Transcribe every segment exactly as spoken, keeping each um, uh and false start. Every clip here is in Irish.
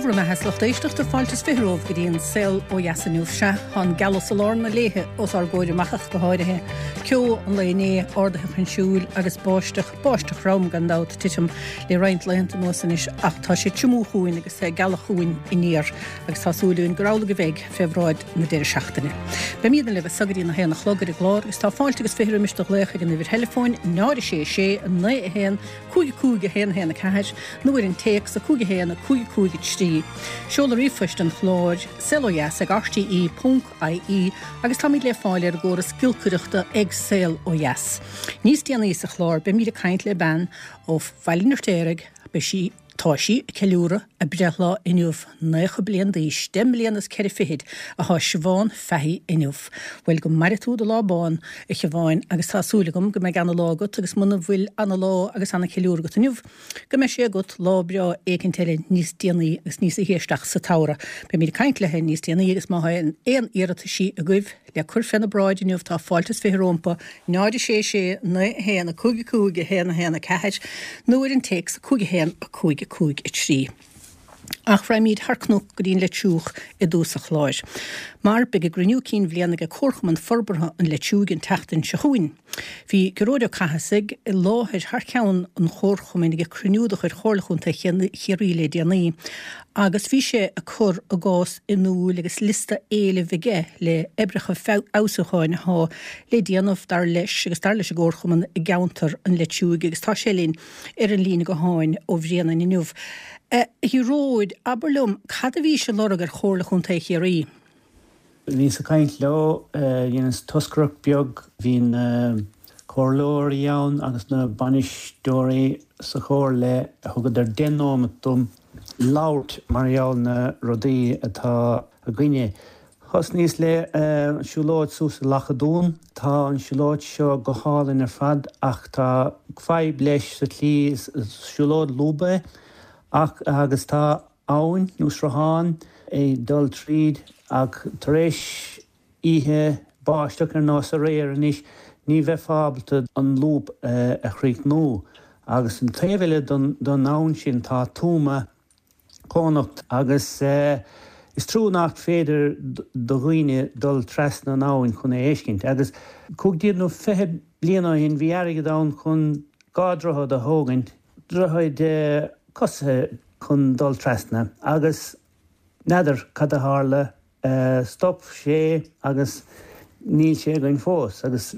bhur mbeatha a lucht éisteachta fáilte is fiche romhaibh go dtí an saol ó dheas inniu sea tá an gealach sa lár na léithe os ár gcomhair amach ach go háirithe. Ceo an lae inné ardaithe chun siúil agus báisteach báisteach throm gan dabht titim le roinnt laethanta anuas anois ach tá sé tiomú chugainn agus é gealach chugainn aniar agus tá súil againn gur amhlaidh a bheidh fé bhráid na deireadh seachtaine. Beimid libh go dtí a haon a chlog ar an gclár agus tá fáilte agus fiche roimis do ghlaoch ag an uimhir theileafóin náid sé sé naoi a haon cúig cúig a haon haon a ceathair nó ar an téacs a cúig a haon a cúig cúig a trí. Seoladh ríomhphoist an chláir saolodheas ag RTE ponc IE agus táimid le fáil ar an gcóras giolcaireachta ag Saol Ó Dheas. Níos déanaí sa chlár beimid ag caint le bean ó Bhaile an Fheirtéaraigh be sí Tá sí ag ceiliúradh a breithlá inniu nócha bliain d'aois, deich mbliana is ceithre fichid atá Siobhán Fahey inniu. Bhuel go maire tú do lá bán a Shiobháin agus tá súil agam go mbeidh ana-lá agat agus muna bhfuil ana-lá agus ana-cheiliúradh agat inniu, go mbeidh sé agat lá breá éicint eile níos déanaí agus níos isteach sa tsamhradh. Beimid ag caint léi níos déanaí agus má tá aon iarrataisí agaibh le cur féna bráid inniu tá fáilte is fiche rompu náid sé sé naoi a haon a cúig a cúig a haon a haon a ceathair nó ar an téacs cúig a haon a cúig a cúig a trí. Ach raghaimid thar cnoc go dtí an Leitriúch i dtús an chláir. Mar beidh a gcruinniú cinn bhliana ag Comharchumann Forbartha an Leitriúigh an tseachtain seo chugainn. Bhí Gearóid Ó Cathasaigh i láthair thar ceann an chomharchumainn ag cruinniú de chuid Chomhairle Chontae Chiarraí le déanaí, agus bhí sé ag cur a gcás in iúl agus liosta éilimh aige le oibreacha feabhsúcháin atá le déanamh dar leis agus dar leis an gcomharchumann i gceantar an Leitriúigh agus tá sé linn ar an líne gutháin ó Bhréanainn inniu. A Ghearóid, abair liom, cad a bhís ag lorg ar Chomhairle Chontae Chiarraí? Bhíos ag caint leo dhéanas toscaireacht beag bhí na comhairleoirí ann agus na bainisteoirí sa chomhairle thugadar deich nóiméad dom labhairt mar gheall na rudaí atá againne. Thosnaíos le siúlóid suas i Loch an Dúin, Tá an siúlóid seo go hálainn ar fad ach tá fadhb leis sa tslí siúlóid lúbtha ach agus tá abhainn nó sruthán ag dul tríd ach tar éis oíche báisteach ar nós aréir anois ní bheifeá ábalta an lúb a chríochnú. Agus an taobh eile don abhainn sin tá tuama cónocht agus is trua nach féidir do dhaoine dul trasna an abhainn chun é a fheiscint. Agus cúig déag nó fiche bliain ó shin bhí airgead ann chun dhá droichead a thógaint, droichead cosaithe chun dul trasna agus n'fheadar cad a tharla stop sé agus níl sé againn fós agus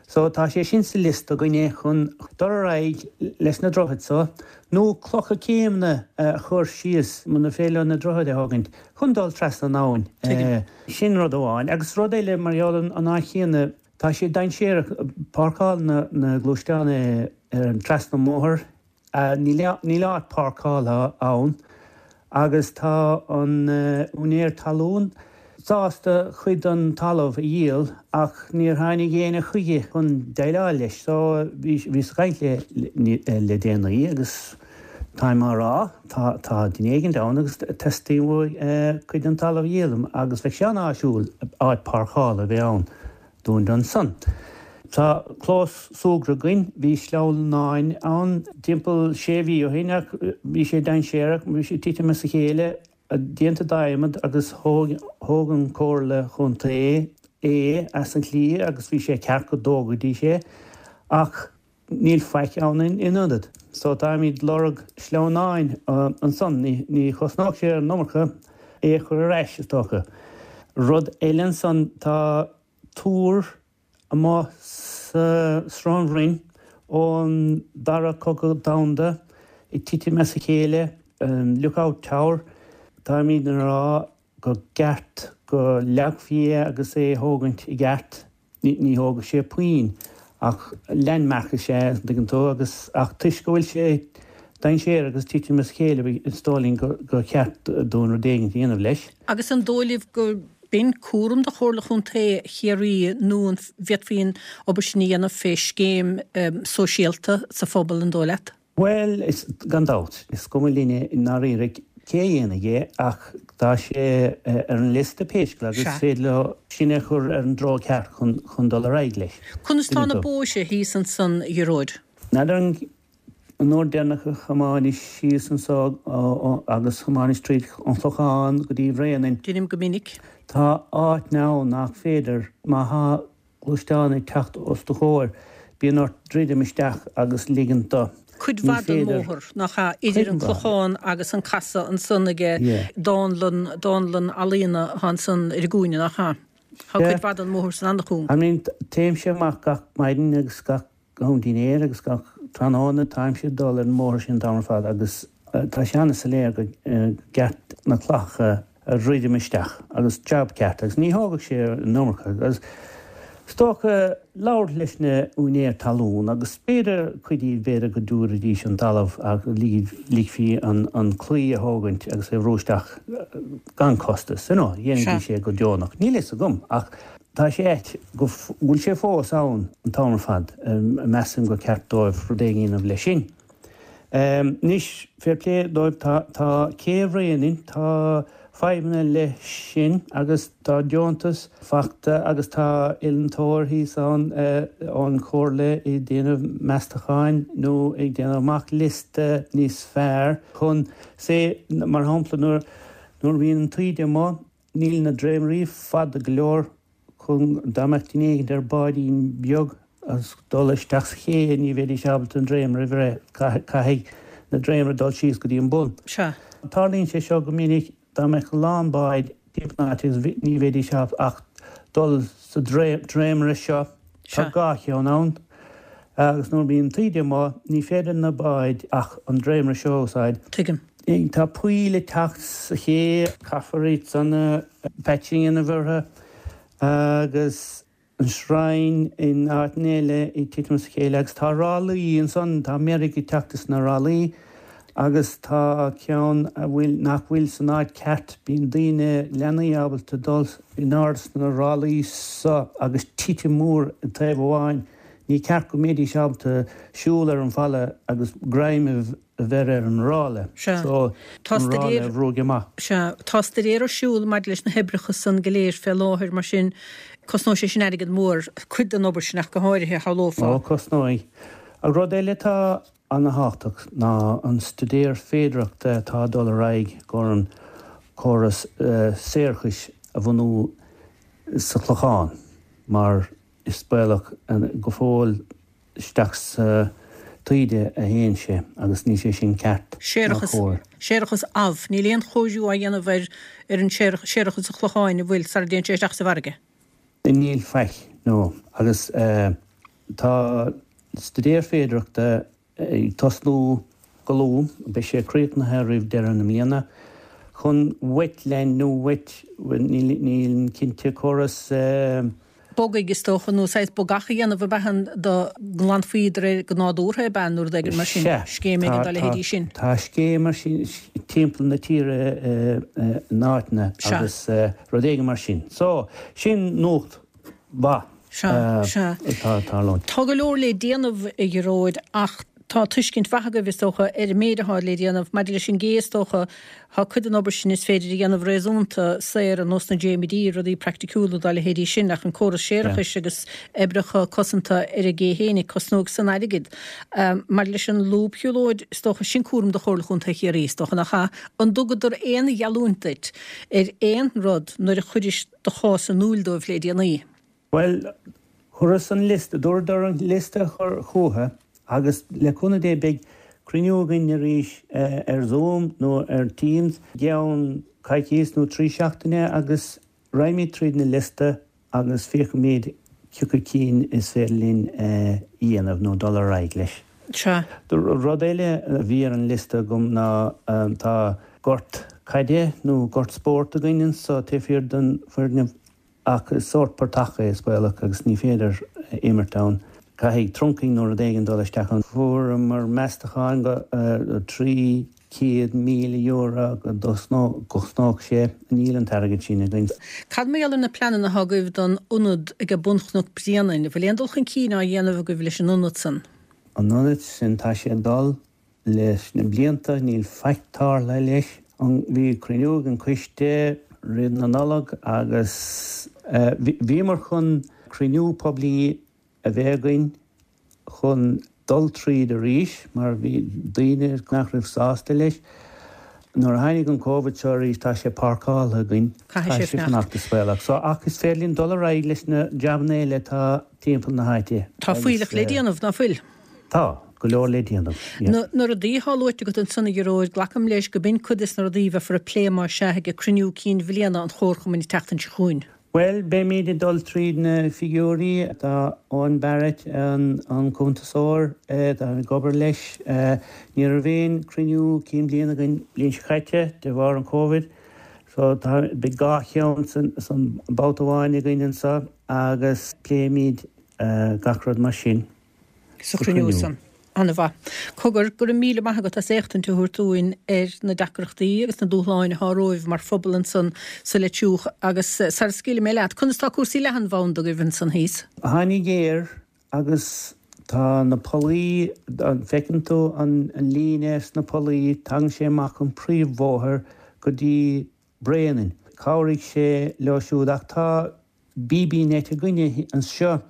so tá sé sin sa liosta againne chun dul ar aghaidh leis na droichid so nó clocha céimeanna a chur síos muna féidir leo na droichid a thógaint chun dul trasna an abhainn. Sin rud amháin agus rud eile mar gheall an áit chéanna tá sé dainséarach páirceáil na na gluaisteáin ar an trasna an mbóthar Níl áit páirceála ann agus tá an úinéir talún sásta cuid den talamh a dhíol ach níor tháinig éinne chuige chun déileáil leis. So bhíos ag caint le déanaí agus táim á rá tá tá duine éigin ann agus teastaíonn uaidh cuid den talamh a dhíol agus bheadh sé an-áisiúil áit páirceála a bheith ann. Dúinn ansan. Tá clós súgartha againn, bhí sleamhnáin ann timpeall sé mhí ó shin ach bhí sé dainséarach, bhí sé ag titim as a chéile, déanta d'adhmad agus thóg thóg an Comhairle Chontae é as an tslí agus bhí sé ceart go dtógfaidís é ach níl faic ann in ionad. So táimid lorg sleamhnáin ansan, ní chosnódh sé an iomarca é a chur ar ais is dócha. Rud eile ansan tá túr amuigh sa Srón Bhroin ón Dara Cogadh Domhanda ag titim as a chéile, Lookout Tower, táimid ag rá go gceart go leagfaí é agus é a thógaint i gceart, ní thógfaidh sé puinn ach landmark is ea é, an dtuigeann tú, agus ach toisc go bhfuil sé dainséarach agus titim as a chéile is dóigh linn gur cheart dúinn rud éigin a dhéanamh leis. Agus an dóigh libh go b'in cúram do Chomhairle Chontae Chiarraí nó an bhféadfaí an obair sin a dhéanamh fé scéim sóisialta sa phobal, an dóigh leat? Bhuel, is, gan dabht, is cuma linne i ndáiríre cé a dhéanfaidh é ach tá sé ar an liosta pé scéal agus is féidir leo sin a chur ar an dtreo ceart chun, chun dul ar aghaidh leis. Conas tá na bóithre thíos ansan, a Ghearóid? N'fheadar an An uair deireanach a thiomáineas síos anso agus thiomáineas tríd an Chlochán go dtí Bhréanainn. Déanaim go minic. Tá áit ann nach féidir, má thá gluaisteán ag teacht os do chomhair, bíonn ort druidim isteach agus ligint dó. Cuid mhaith den mbóthar, nach ea, idir an Clochán agus an casadh ansan aige dánlann, dánlann ealaíona atá ansan ar an gcúinne, nach ea? Tá cuid mhaith den mbóthar san an-chúng. I mean, téimse amach gach maidin agus gach am dinnéir agus gach tráthnóna táimse ag dul ar an mbóthar sin an t-am ar fad agus tá sé an-soiléir go gceart na clocha a dhruidim isteach agus jab ceart agus ní thógfadh sé an iomarca agus is dócha labhairt leis na úinéir talún agus b'fhéidir cuid díobh b'fhéidir go dtabharfaidís an talamh agus ligfí an claí a thógaint agus é a bhrú isteach gan costas, you know, dhéanfaidís é go deonach. Níl fhios agam ach Tá sé ait go bhfuil sé fós ann an t-am ar fad. Measaim gur ceart dóibh rud éigin a dhéanamh leis sin. Anois, fair play dóibh, tá tá cé Bhréanainn, tá fadhbanna leis sin agus tá deontas fachta agus tá oiliúntóir thíos ann ón chomhairle ag déanamh meastacháin nó ag déanamh amach liosta níos fearr chun, say, mar shampla nuair nuair a bhíonn an taoide amuigh, Níl na dréimirí fada go leor chun dá mbeadh duine éigin ar báidín beag agus dul isteach sa ché ní bheidís ábalta an dréimire a bhreith, caithfidh na dréimire dul síos go dtí an bun. Sea. Tarlaíonn sé seo go minic dá mbeadh a lán báid timpeall na háite agus ní bheidís ábalta ach dul sa dréimire seo. Tá dhá cheann ann agus nuair a bhíonn taoide amuigh ní féidir na báid ach an dréimire seo a úsáid. Tuigim. Tá poill ag teacht sa ché, caithfear iad san a patching a dhéanamh orthu agus an sreang in áiteanna eile ag titim as a chéile agus tá rálaí ansan, tá meirg ag teacht as na rálaí agus tá ceann a bhfuil, nach bhfuil san áit ceart, bíonn daoine, leanaí ábalta dul in airde sna rálaí so agus titim mór i dtaobh amháin, ní ceart go mbeidís ábalta siúl ar an bhfalla agus greim a a bheith ar an ráille. Sea. So, Tá an ráille staidéar a bhrúigh amach. Sea. Tá staidéar ar siúl maidir leis na hoibreacha san go léir fé láthair, mar sin cosnóidh sé sin airgead mór, cuid den obair sin ach go háirithe, shamhlófá. Ó, cosnóidh. Ach rud eile atá ana-thábhachtach ná an staidéar féidearthachta atá ag dul ar aghaidh gur an córas séarachais a bhunú sa Chlochán mar is baolach go fóill isteach sa taoide a théann sé agus níl sé sin ceart ná Séarachas, cóir. séarachas amh. Níl aon chóiriú á dhéanamh ar ar an séarachas an Chlocháin, an bhfuil, sara dtéann sé isteach sa bhfarraige? Níl faic, no. Agus tá staidéar féidearthachta ag tosnú go luath, beidh sé críochnaithe roimh deireadh na mbliana, chun wetland nó wet, nílim cinnte, córas. bogaigh is dócha, nó saghas bogach a dhéanamh ab ea an dá nglanfaí de réir go nádúrtha ab ea nó rud éigin mar sin, Sea, scéim éigin tá, dá tá, leithéidí sin. tá scéim mar sin timpeall na tíre in áiteanna Sea. agus rud éigin mar sin. So, sin nuacht mhaith Sea, sea. atá ag tarlúint. Tá go leor le déanamh, a Ghearóid, ach tá tuiscint mhaith agaibh, is dócha, ar an méid atá le déanamh. Maidir leis an gcé, is dócha, tá cuid den obair sin is féidir a dhéanamh réasúnta saor, ar nós na dréimirí, rudaí praiticiúla dá leithéidí sin, ach an córas séarachais agus oibreacha cosanta ar an gcé fhéinig, cosnóidh san airgead. Maidir leis an lúbshiúlóid, is dócha, sin cúram do Chomhairle Chontae Chiarraí, is dócha, nach ea? An dtugadar aon gheallúint duit ar aon rud nuair a chuiris do chás in iúl dóibh le déanaí? Bhuel, chuireas an liosta, dúradar an liosta a chur chucu agus le cúnamh Dé beidh cruinniú againn arís ar Zoom nó ar Teams i gceann coicíos nó trí seachtaine agus raghaimid tríd na liosta agus féachfaimid cioca cinn is féidir linn a dhéanamh nó dul ar aghaidh leis. Sea. Rud eile a bhí ar an liosta agam ná tá gort caide nó gort spóirt againn anso taobh thiar den foirgneamh Ach is sórt portach é, is baolach, agus ní féidir imirt ann. Caithfidh trunking nó rud éigin dul isteach ann. Fuaireamar meastachán go trí chéad míle euro go gcosnódh sé. Níl an t-airgead sin againn. Cad mar gheall ar na pleananna atá agaibh don ionad ag bun Chnoc Bréanainn? An bhfuil aon dul chun cinn á dhéanamh agaibh leis an ionad san? An ionad sin, tá sé ag dul leis na blianta, níl faic tarlaithe leis. Bhí cruinniú ag an coiste roimh na Nollag agus bhíomar chun cruinniú poiblí a bheith againn chun dul tríd arís mar bhí daoine nach raibh sásta leis. Nuair a tháinig an Covid seo arís tá sé páirceáilte againn. Caithfidh sé fanacht is baolach. So ach is féidir linn dul ar aghaidh leis na jabanna eile atá timpeall na háite. Tá fuílleach le déanamh, ná fuil? Tá, go leor le déanamh. Na na rudaí atá luaite agat ansan a Ghearóid, glacaim leis go b'in cuid des na rudaí a bheifear ag plé más ea ag cruinniú cinn bhliana an Chomharchumainn an tseachtain seo chugainn. Bhuel, beimid ag dul tríd na figiúirí. Tá Eoin Barrett, an an cuntasóir, tá ag obair leis. Ní raibh aon cruinniú cinn bliana againn bliain seo caite de bharr an Covid. So tá beidh dhá cheann san san babhta amháin againn anseo agus pléimid gach rud mar sin. Sa chruinniú san. An-mhaith. Cogar, go raibh míle maith agat as éachtaint a thabhairt dúinn ar na deacrachtaí agus na dúshláin atá romhaibh mar phobal ansan sa Leitriúch agus sara scaoilfidh mé leat, conas tá cúrsaí leathanbhanda agaibh ansan thíos? Tháinig Eir agus tá na pollaí, an bhfeiceann tú an líne sna pollaí, tagann sé amach an príomhbhóthar go dtí Bréanainn. Chabhraigh sé leo siúd ach tá BB-Net againne anseo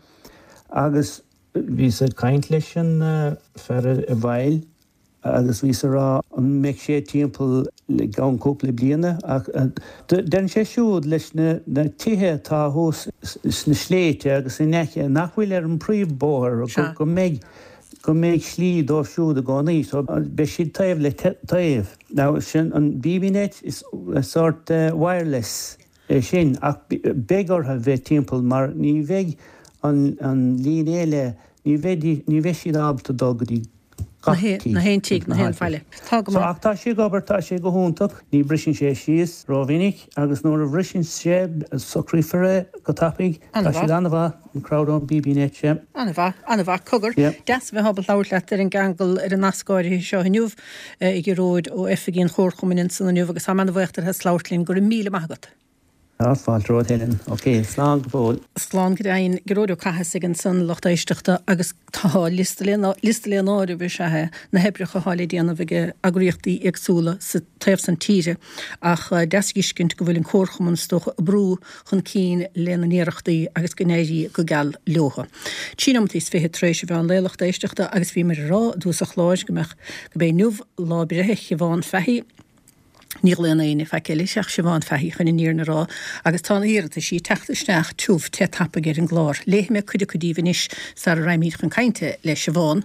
agus Bhíos ag caint leis an fear i bhfeighil agus bhíos ag rá an mbeidh sé timpeall i gceann cúpla bliana ach deireann sé siúd leis na tithe atá thuas sna sléibhte agus in aice nach bhfuil ar an bpríomhbhóthar go mbeidh go mbeidh slí dóibh siúd i gcónaí so beidh siad taobh le taobh. Now sin an BB-Net is sórt wireless é sin ach beidh orthu bheith timpeall mar ní bheidh an líne eile, ní bheidh, ní bheidh siad ábalta dul go dtí gach tigh. Na haon tigh, na haon bhaile. Tá go So, maith. ach tá sé ag obair, tá sé go hiontach, ní briseann sé síos rómhinic agus nuair a bhriseann sé, socraífear é go tapaidh. Tá An-mhaith. siad an-mhaith, an crowd ón BB-Net, sea. An-mhaith, an-mhaith. Cogar, Yeah. deas a bheith ábalta labhairt leat ar an gceangal, ar an nasc áirithe seo inniu, a Ghearóid ó oifigí an Chomharchumainn ansan inniu agus táim an-bhuíoch díot as labhairt linn. Go raibh míle maith agat. Tá fáilte romhat Helen. Ok, slán go fóill. Slán go deimhin. Gearóid Ó Cathasaigh ansan, lucht éisteachta, agus tá liosta le liosta le n-áireamh is ea é na hoibreacha atá le déanamh ag eagraíochtaí éagsúla sa taobh san tíre ach deas a fheiscint go bhfuil an Comharchumann is dócha ag brú chun cinn lena n-iarrachtaí agus go n-éirí go geal leo. Trí nóiméad is fiche tar éis a mheán lae lucht éisteachta agus bhíomar ag rá i dtús an chláir go mbeadh go b'é inniu lá breithe Shiobhán Fahey, Ní ghlaonn éinne faic eile ach Siobhán Fahey chun an fhírinne a rá agus tá na hiarrataisí ag teacht isteach tiubh te tapaidh ar an gclár. Léifidh mé cuid acu díbh anois sara raghaimid chun cainte le Siobhán.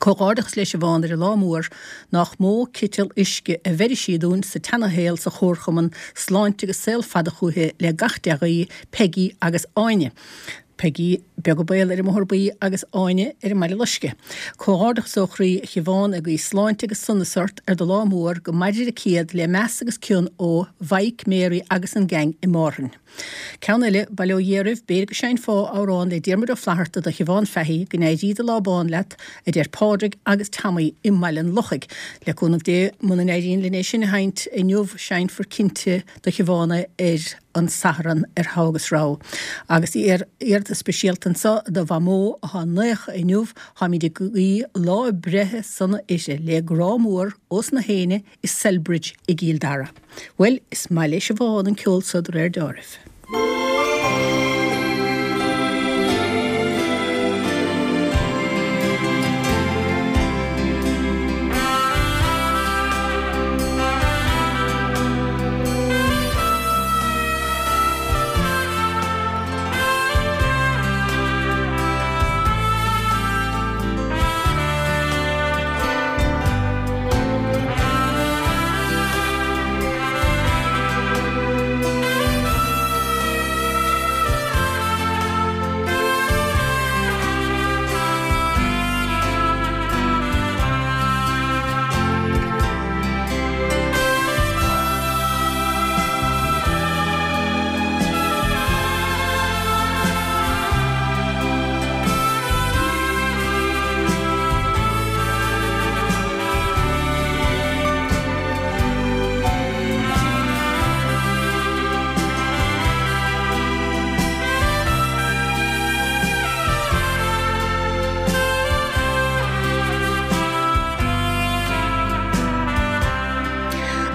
Comhghairdeachas le Siobhán ar a lá mór, nach mó citeal uisce a bheirfidh sí dúinn sa tseanashaol sa chomharchumann, sláinte agus saol fada chúithi le gach dea-ghuí, Peigí agus Áine. Peigí Beag an Baol ar an mBóthar Buí agus Áine ar an mBaile Loiscthe. Comhghairdeachas ó chroí a Shiobhán ag guí sláinte agus sonas ort ar do lá mór, go mairir an céad le meas agus cion ó Mhaidhc, Mary agus an gang i Márthain. Ceann eile, Bail ó Dhia oraibh, b'fhéidir go seinnfeá amhrán le Diarmuid Ó Flatharta do Shiobhán Fahey, go n-éirí do lá bán leat, a deir Pádraig agus Tommy i mBaile an Lochaigh. Le cúnamh Dé, muna n-éiríonn linn é sin a sheinnt inniu, seinnfear cinnte do Shiobhán é ar an Satharn ar Thogha agus Rogha. Agus iarratas speisialta anseo do Mhamó atá naocha inniu, táimid ag guí lá breithe sona uirthi, le grá mór ós na héinne i Celbridge i gCill Dara. Bhuel, is maith le Siobhán an ceol so de réir deáraimh.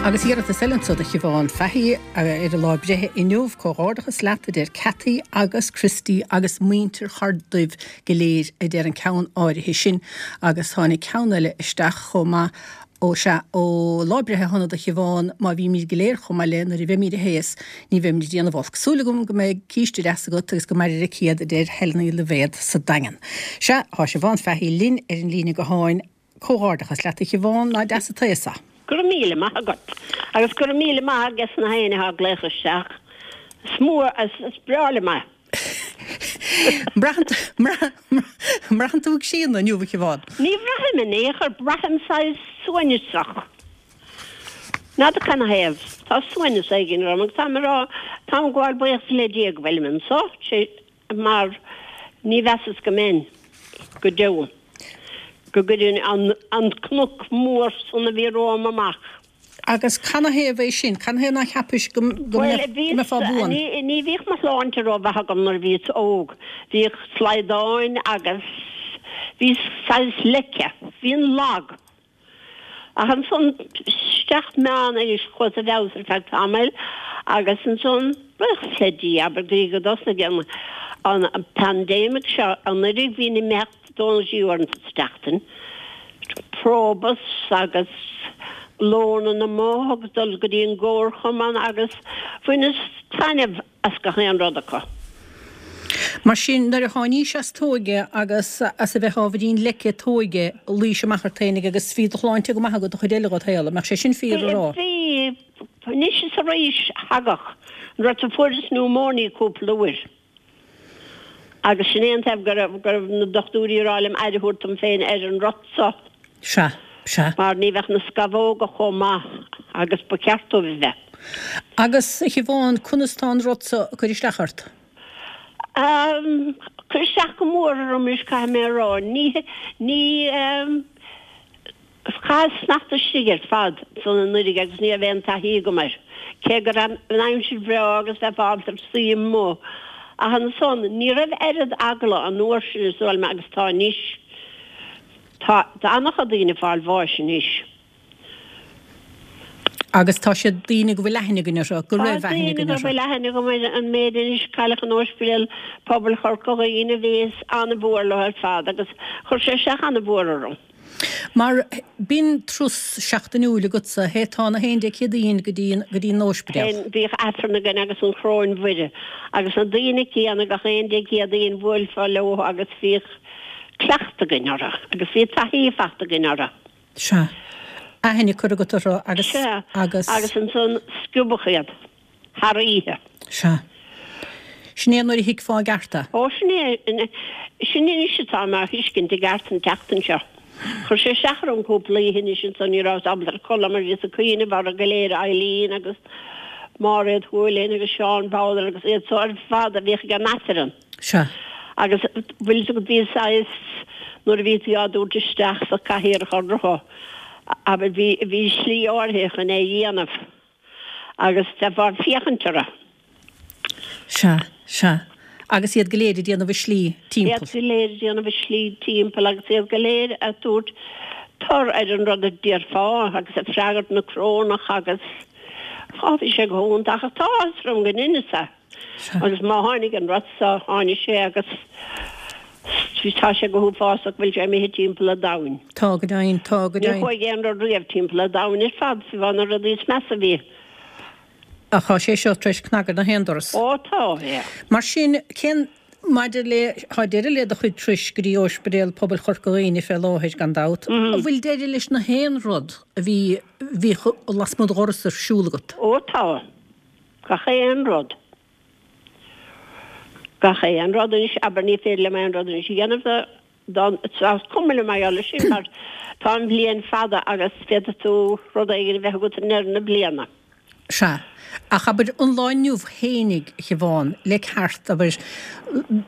Agus iarratas eile anso do Shiobhán Fahey ar a lá breithe inniu, comhghairdeachas leat a deir Cathy agus Christy agus muintir Chorr Duibh go léir a deir an ceann áirithe sin agus tháinig ceann eile isteach chomh maith ó sea ó lá breithe shona do Shiobhán má bhímid go léir chomh maith léi nuair a bheimid a théas ní bheimid ag déanamh olc. Súil agam go mbeidh císte deas agat agus go mairir a céad a deir Helen Uí Loibhéad sa Daingean. Sea, tá Siobhán Fahey linn ar an líne gutháin. Comhghairdeachas leat a Shiobhán, lá deas an tsaoil. Go raibh míle maith agat. Agus go raibh míle maith ages na héinne atá ag glaoch isteach. Is mór, is breá liom é. Mbraitheann tú ag síneadh inniu, a Shiobhán? Ní bhraithim in aon chor, braithim saghas suaimhneasach. N'fheadar canathaobh. Tá suaimhneas éigin orm agus táim ag rá, táim ag gabháil buíochas le Dia go bhfuilim anso, mar ní mheasas go mbeinn go deo. Go gcuirfinn an cnoc mór san a bhí romham amach. Agus canathaobh é sin? Canathaobh nár cheapais go mbeifeá buan? Bhuel, ní bhíodh mo shláinte rómhaith agam nuair a bhíos óg. Bhíodh slaghdáin agus bhíos saghas leice. Bhínn lag. Ach ansan isteach meán-aois chuas i bhfeabhas ar feadh tamaill agus ansan, buíochas le Dia, abair go dtí go dtosnaigh an an pandemic seo anuiridh bhínn ag imeacht dó nó trí uair sa tseachtain, Probus agus lónann amuigh agus dul go dtí an gcomharchumann agus bhaineas taitneamh as gach aon rud acu. Mar sin, nuair a tháinís as t'óige agus as a bheith ábhairín leice t'óige, luís amach ort fhéinig agus bhí do shláinte go maith agat an chuid eile dhod shaol, an mbeadh sé sin fíor a rá? Bhí, anois is arís thagadh an rud so fuaireas pneumóinia cúpla uair agus sin é an taobh go raibh, go raibh na dochtúirí ag rá liom aire a thabhairt dom féin ar an rud so. Sea, sea. Mar ní bheadh na scamhóga chomh maith agus ba cheart dóibh a bheith. Agus, a Shiobhán, conas tá an rud so ag cur isteach ort? Ag cur isteach go mór orm anois, caithfidh mé a rá. Ní, ní, chaitheas sneachta istigh ar fad ansan anuiridh agus ní raibh aon taithí agam air, cé go raibh an aimsir bhreá agus bheifeá ábalta suí amuigh. Ach ansan, ní raibh oiread eagla an uair sin is dóigh liom agus tá anois. Tá an-chuid daoine ag fáil bháis anois. Agus tá siad daoine go bhfuil aithne againn orthu, go raibh aithne againn orthu. Tá daoine go bhfuil aithne agam ar an méid anois, cailleadh in Ospidéal Pobail Chorca Dhuibhne, bhíos an-mhór leo ar fad agus chuir sé isteach an-mhór orm. Mar b'in turas seachtainiúil agatsa, théiteá na haon Dé Céadaoin go dtí go dtí an Ospidéal. Bhíodh Aifreann againn agus an Choróin Mhuire agus na daoine céanna gach aon Dé Céadaoin bhuailfeá leo agus bhíodh cleachtadh againn orthu agus bhí taithí fachta againn orthu. Sea. Aithne curtha agat orthu agus, Sea. agus. Agus ansan sciobadh iad thar oíche. Sea. Sin é nuair a thuigfeá i gceart é. Ó, sin é, sin anois atá mé á thuiscint i gceart an tseachtain seo. Chuir sé isteach orm cúpla oíche anois ansan, ní rabhas ábalta codladh mar bhíos ag cuimhneamh orthu go léir, Eileen agus Máiréad Houlihan agus Seán Bowler agus iad so ar fad a bhíodh ag an Aifreann. Sea. Agus bhfuil fhios agat bhí saghas, nuair a bhí tú á dtabhairt isteach sa cathaoir orthu, abair, bhí, bhí slí áirithe chun é a dhéanamh agus bheifeá ag féachaint orthu. Sea, sea. Agus iad go léir ag déanamh a slí timpeall. Iad go léir ag déanamh a slí timpeall agus iad go léir ag tabhairt tor ar an rud a déarfá agus ag freagairt na corónach agus, á, bhí sé go hiontach ach tá áthas orm go ndeineas é. Agus má tháinig an rud so, tháinig sé agus tá sé go huafásach go bhfuil sé imithe timpeall an domhain. Tá go deimhin, tá go Ní deimhin. chuaigh aon rud riamh timpeall an domhain ar fad, fiú amháin na rudaí is measa a bhí. Ach tá sé seo tar éis cnagadh na haon doras. Ó tá, yeah. Mar sin, cén, maidir le, tá deireadh le do chuid turais go dtí Ospidéal Pobail Chorca Dhuibhne fé láthair, gan dabht. An bhfuil deireadh leis na haon rud a bhí, bhíodh lasmuigh de dhoras ar siúl agat? Ó tá. Gach aon rud. Gach aon rud anois, abair, ní féidir liom aon rud anois a dhéanamh do, do, is cuma liom mar gheall air sin mar tá an bhliain fada agus féadfaidh tú rud éigin a bheith agat i ndeireadh na bliana. Sea. Ach abair, an lá inniu fhéinig, a Shiobhán, le ceart, abair,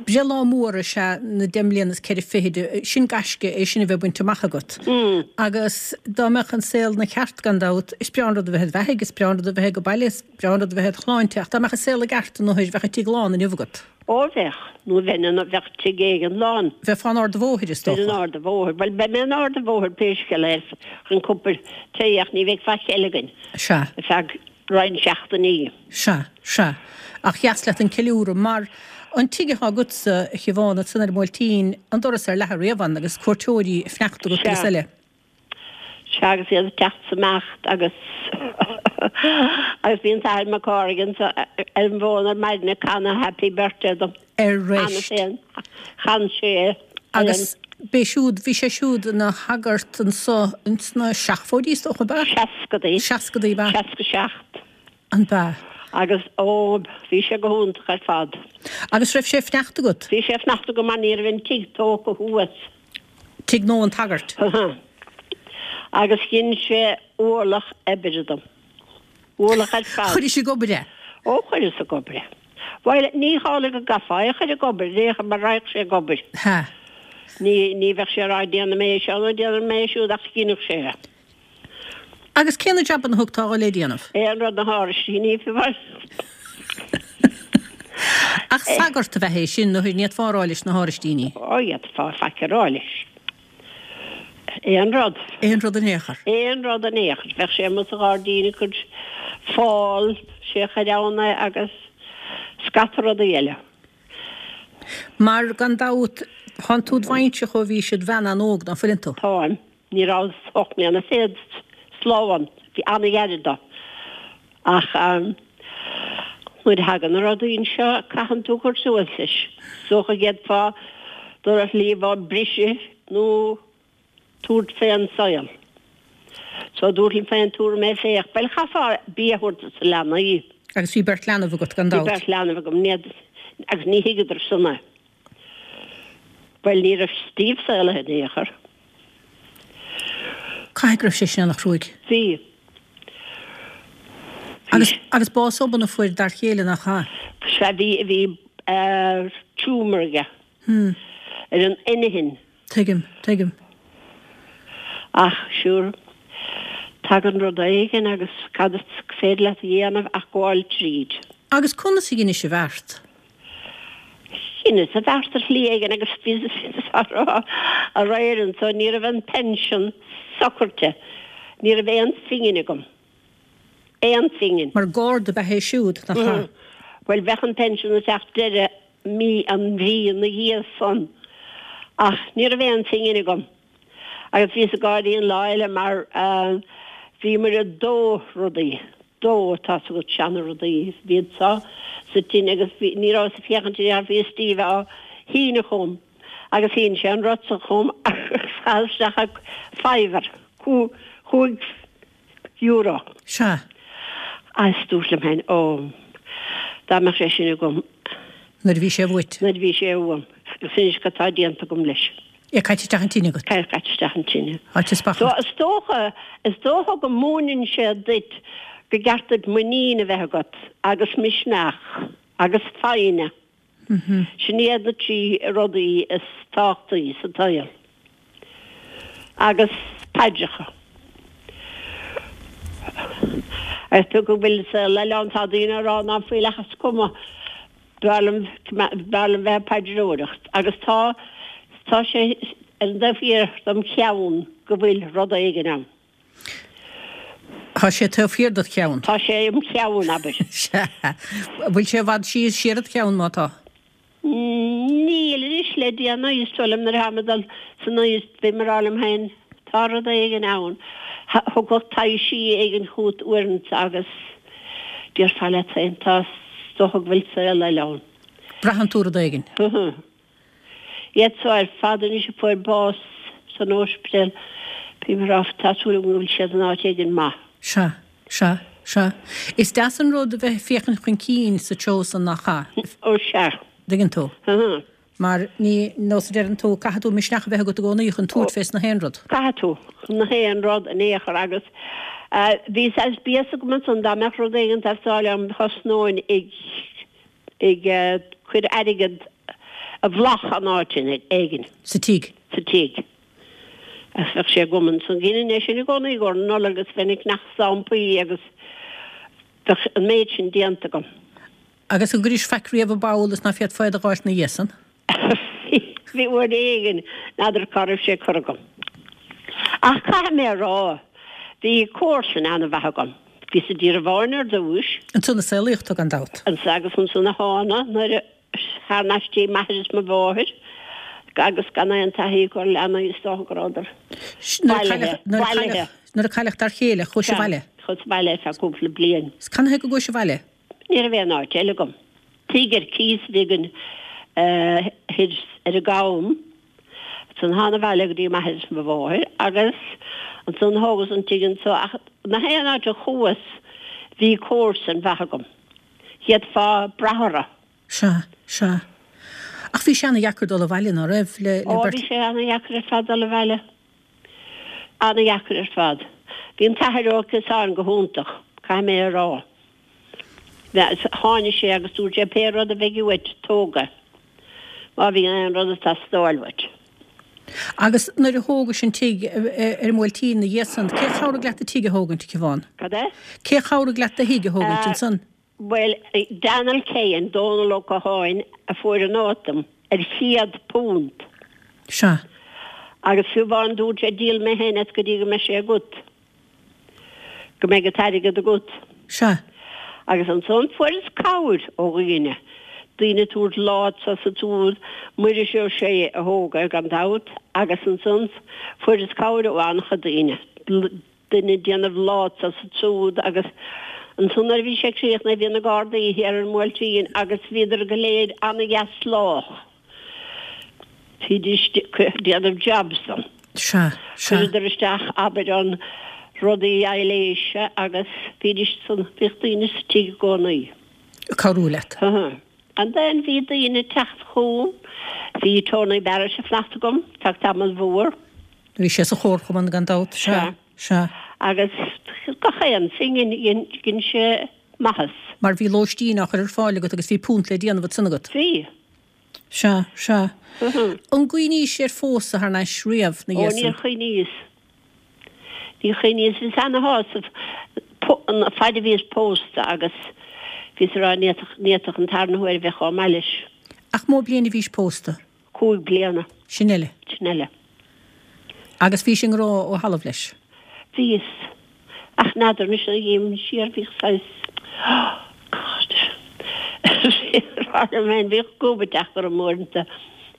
breithlá mór is ea na deich mbliana is ceithre fichid, sin gaisce é sin a bheith bainte amach agat. Agus dá mbeadh an saol 'na cheart, gan dabht, is breá an rud a bheith id bheathaidh, is breá an rud a bheith ag baile, is breá an rud a bheith id shláinte, ach dá mbeadh an saol i gceart don othair, bheadh an tigh lán inniu agat. Ó bheadh, nó bheinn in, bheadh tigh éigin lán. Bheifeá in Ard a' Bhóthair, is Bheinn in dócha. Ard a' Bhóthair. Bhuel, beidh mé in Ard a' Bhóthair pé scéal é, chun cúpla tae ach ní bheidh faic eile againn. Sea. Ar feadh roinnt seachtainí. Sea, sea. Ach dheas leat an ceiliúradh, mar an tigh atá agatsa, a Shiobhán, ansan ar an mBuailtín, an doras ar leathadh riamh ann agus cuairteoirí ag fanacht agat agus Sea. eile. Sea, agus iad ag teacht 's imeacht agus agus bhí an tAthair Mac Cárthaigh anso ar an bhfón ar maidin ag canadh Happy Birthday dom. Ar Cheana reist. féin, chan sé é ar an. Agus b'é siúd, bhí sé siúd ina shagart anso ins na seachtóidí, is dócha, ab ea? Seascadaí. Seascadaí, ab ea? Seasca seacht. An b'ea? Agus, ó, bhí sé go hiontach ar fad. Agus raibh sé ag fanacht agat? Bhí sé ag fanacht agam mar ní raibh an tigh tógtha thuas. Tigh nua an tsagairt. Agus dhein sé ualach oibre dom. Ualach ar fad. Chuiris ag obair é? Ó, chuireas ag obair é. Bhuel, ní hamhlaidh go gcaithfeá é a chur ag obair, ní hea, mar raghadh sé ag obair. Hea. Ní, ní bheadh sé ag rá déanfaidh mé é seo nó déanfaidh mé é siúd ach dheineadh sé é. Agus cé na jabanna a thugtá dhó le déanamh? Aon rud na háraistíní, fiú amháin. Ach sagart ab ea é sin, nó ní fhéadfá a rá leis na háraistíní? Ó, d'fhéadfá faic a rá leis. Aon rud. Aon rud in aon chor. Aon rud in aon chor. Bheadh sé amuigh sa ghairdín ag cur fál, sé a chuir ann é agus scata rudaí eile. Mar, gan dabht, thánn tú id bhainseach ó bhís id bhean an-óg, ná fuileann tú? Táim. Ní rabhas ocht mbliana fichead slán. Bhí an-ghairid dó. Ach nuair a thagann na rudaí anseo, caitheann tú cur suas leis. Is dócha go bhféadfá dul ar shlí a briseadh nó tabhairt fén saol. So dúirt liom féin, tabharfaidh mé fé. Bhuel, chaithfeá bia a thabhairt dos na leanaí. Agus bhí beirt leanbh agat, gan Bhí dabht. beirt leanbh agam, ní, agus ní thuigeadar san é. Bhuel, ní raibh Steve saolaithe in aon chor. Caithfidh go raibh sé sin ana-chruaidh. Bhí. Agus, agus bás obann a fuair d'fhear chéile, nach ea? Sea, bhí, bhí tumour aige. Hmm. Ar an inchinn. Tuigim, tuigim. Ach, sure, tagann rud éigin agus cad is féidir leat a dhéanamh ach gabháil tríd. Agus conas a dheinis an bheart? Dheineas an bheart ar shlí éigin agus bhíos á rá aréir anso, ní raibh an pension socraithe, ní raibh aon phingin agam. Aon phingin. Mar garda ab ea é siúd, nach ea? Bhuel, bheadh an pension ag teacht deireadh mí an mhí ina dhiaidh san. Ach ní raibh aon phingin agam. Agus bhíos ag gáirí an lá eile mar bhíomar ag dó rudaí, dó, tá's agat, seana rudaí, bhí iad sa sa tine agus bhí, ní rabhas ag féachaint ar aon bhí Steve á shíneadh chugam agus shín sé an rud san chugam agus chaith isteach a fiver, cúig euro. Sea. Agus dúirt liom féin, ó, dá mbeadh sé sin agam. Nuair a bhí sé uait. Nuair a bhí sé uaim. Agus anois cad tá déanta agam leis. É caite isteach an tine agat. Caite isteach an tine. Áit is So is dócha, is dócha go múineann sé duit go gceart duit muinín a bheith agat agus misneach agus foighne. Sin iad na trí rudaí is tábhachtaí sa tsaol. Agus paidreacha. Agus tú go bhfuil sa le an tá daoine ag rá ná fuil ach is cuma b'fhearr liom b'fhearr liom bheith ag paidreoireacht agus tá tá sé ar an taobh thiar dom cheann go bhfuil rud éigin ann. Tá sé taobh thiar dod cheann. Tá sé im cheann, abair. Sea. Bhfuil sé i bhfad síos siar id cheann má tá? Níl anois le déanaí, is dóigh liom nuair atá mé ag dul san aois bím ag rá liom féin tá rud éigin ann. Thiocfadh taibhsí éigin chugat uaireanta agus déarfá leat féin tá is dócha go bhfuil saol eile ann. Braitheann tú rud éigin. Iad so ar fad anois a fuair bás san ospidéal, bím ag rá tá súil agam go bhfuil siad in áit éigin maith. Sea, sea, sea. Is deas an rud a bheith ag féachaint chun cinn sa treo san nach ea? Ó sea. Dtuigeann tú? Mar ní, nós a deireann tú, caithfidh tú misneach a bheith agat i gcónaí chun tabhairt fés na haon rud. Caithfidh tú, chun na haon rud in aon chor agus bhí saghas béas agam ansan dá mbeadh rud éigin ag teastáil uaim thosnóinn ag ag cur airgead i bhfolach in áit éigin. Sa tigh? Sa tigh. Agus bheadh sé agam ansan. Dheininn é sin i gcónaí i gcomhair na Nollag agus bheinn ag ceannach stampaí agus bheadh an méid sin déanta agam. Agus an gcuiris faic riamh i bpoll is ná féadfá é d'fháilt ina dhiaidh san? Bhí uair éigin, n'fheadar cá raibh sé curtha agam. Ach caithfidh mé a rá, bhí comharsain an-mhaith agam. Bhíos i dTír an Bháin ar dtúis. Ansan a saolaíodh tú gan dabht. Ansan agus ansan a thána nuair a thar n-ais dtí m'athair is mo mháthair agus gan aon taithí acu ar leanaí is dócha go rabhadar bailithe. Bailithe. Nuair a cailleadh d'fhear chéile, chuais abhaile? Chuas abhaile ar feadh cúpla bliain. Is canathaobh go gcuais abhaile? Ní raibh aon áit eile agam. Tigh ar cíos a bhí againn thoir ar an gCam. Ansan thána abhaile go dtí m'athair is mo mháthair agus ansan thógas an tigh anso ach na haon áit a chuas bhí comharsain mhaith agam. D'fhéadfá brath orthu. Sea, sea. Ach bhí sé ana-dheacair dul abhaile, ná raibh, le, le Ó, beirt. bhí sé ana-dheacair ar fad dul abhaile. Ana-dheacair ar fad. Bhí an tAthair Ó Ciosáin go hiontach, caithfidh mé a rá. Tháinig sé agus dúirt sé pé rud a bheidh uait, tóg é. Má bhíonn aon rud ag teastáil uait. Agus nuair a thógais an tigh ar an mBuailtín ina dhiaidh san, cé chabhraigh leat do tigh a thógaint, a Shiobhán? Cad é? Cé chabhraigh leat do thigh a thógaint ansan? Bhuel, Daniel Keane, Dónal Ó Catháin a fuair an áit dom ar chéad punt. Sea. Agus fiú amháin dúirt sé díolfaidh mé féin as go dtí go mbeidh sé agat. Go mbeidh an t-airgead agat. Sea. Agus ansan fuaireas cabhair ó dhaoine. Daoine ag tabhairt lá anso is ansúd, Muiris Ó Sé a thóg é gan dabht, agus ansan fuaireas cabhair ó an-chuid daoine. Duine ag déanamh lá anso is ansúd agus ansan nuair a bhí sé críochnaithe bhí na Gardaí thiar ar an mBuailtín agus bhíodar go léir ana-dheas lách. Bhídís ag déanamh jobs dom. Sea, sea. Chuireadar isteach, abair, an rudaí aibhléise agus bhídís san, bhíodh daoine sa tigh i gcónaí. Ag cabhrú leat. Uh-huh. And then bhí daoine ag teacht chugam, bhí Tony Barrett ag fanacht agam, feadh tamall mhór. Bhí sé sa chomharchumann gan dabht, sea, sea. Agus gach aon phingin, dhein sé maitheas. Mar bhí lóistín á chur ar fáil agat agus bhí punt le déanamh ansan agat. Bhí. Sea, sea. An gcuimhnís ar phósadh thar n-ais riamh 'na Ó, dhiaidh níor san? chuimhníos. Níor chuimhníos. Bhíos ana-shásamh an faid a bhíos pósta agus bhíos ag rá ní fhéadfadh, ní fhéadfadh an tarna huair a bheith chomh maith leis. Ach mó bliain a bhís pósta? Cúig bliana. Sin eile. Sin eile. Agus bhís i ngrá ó thalamh leis? Bhíos. Ach n'fheadar anois a dhím siar bhíodh saghas, oh God, rá liom féin, bhíodh gob ag teacht orm uaireanta,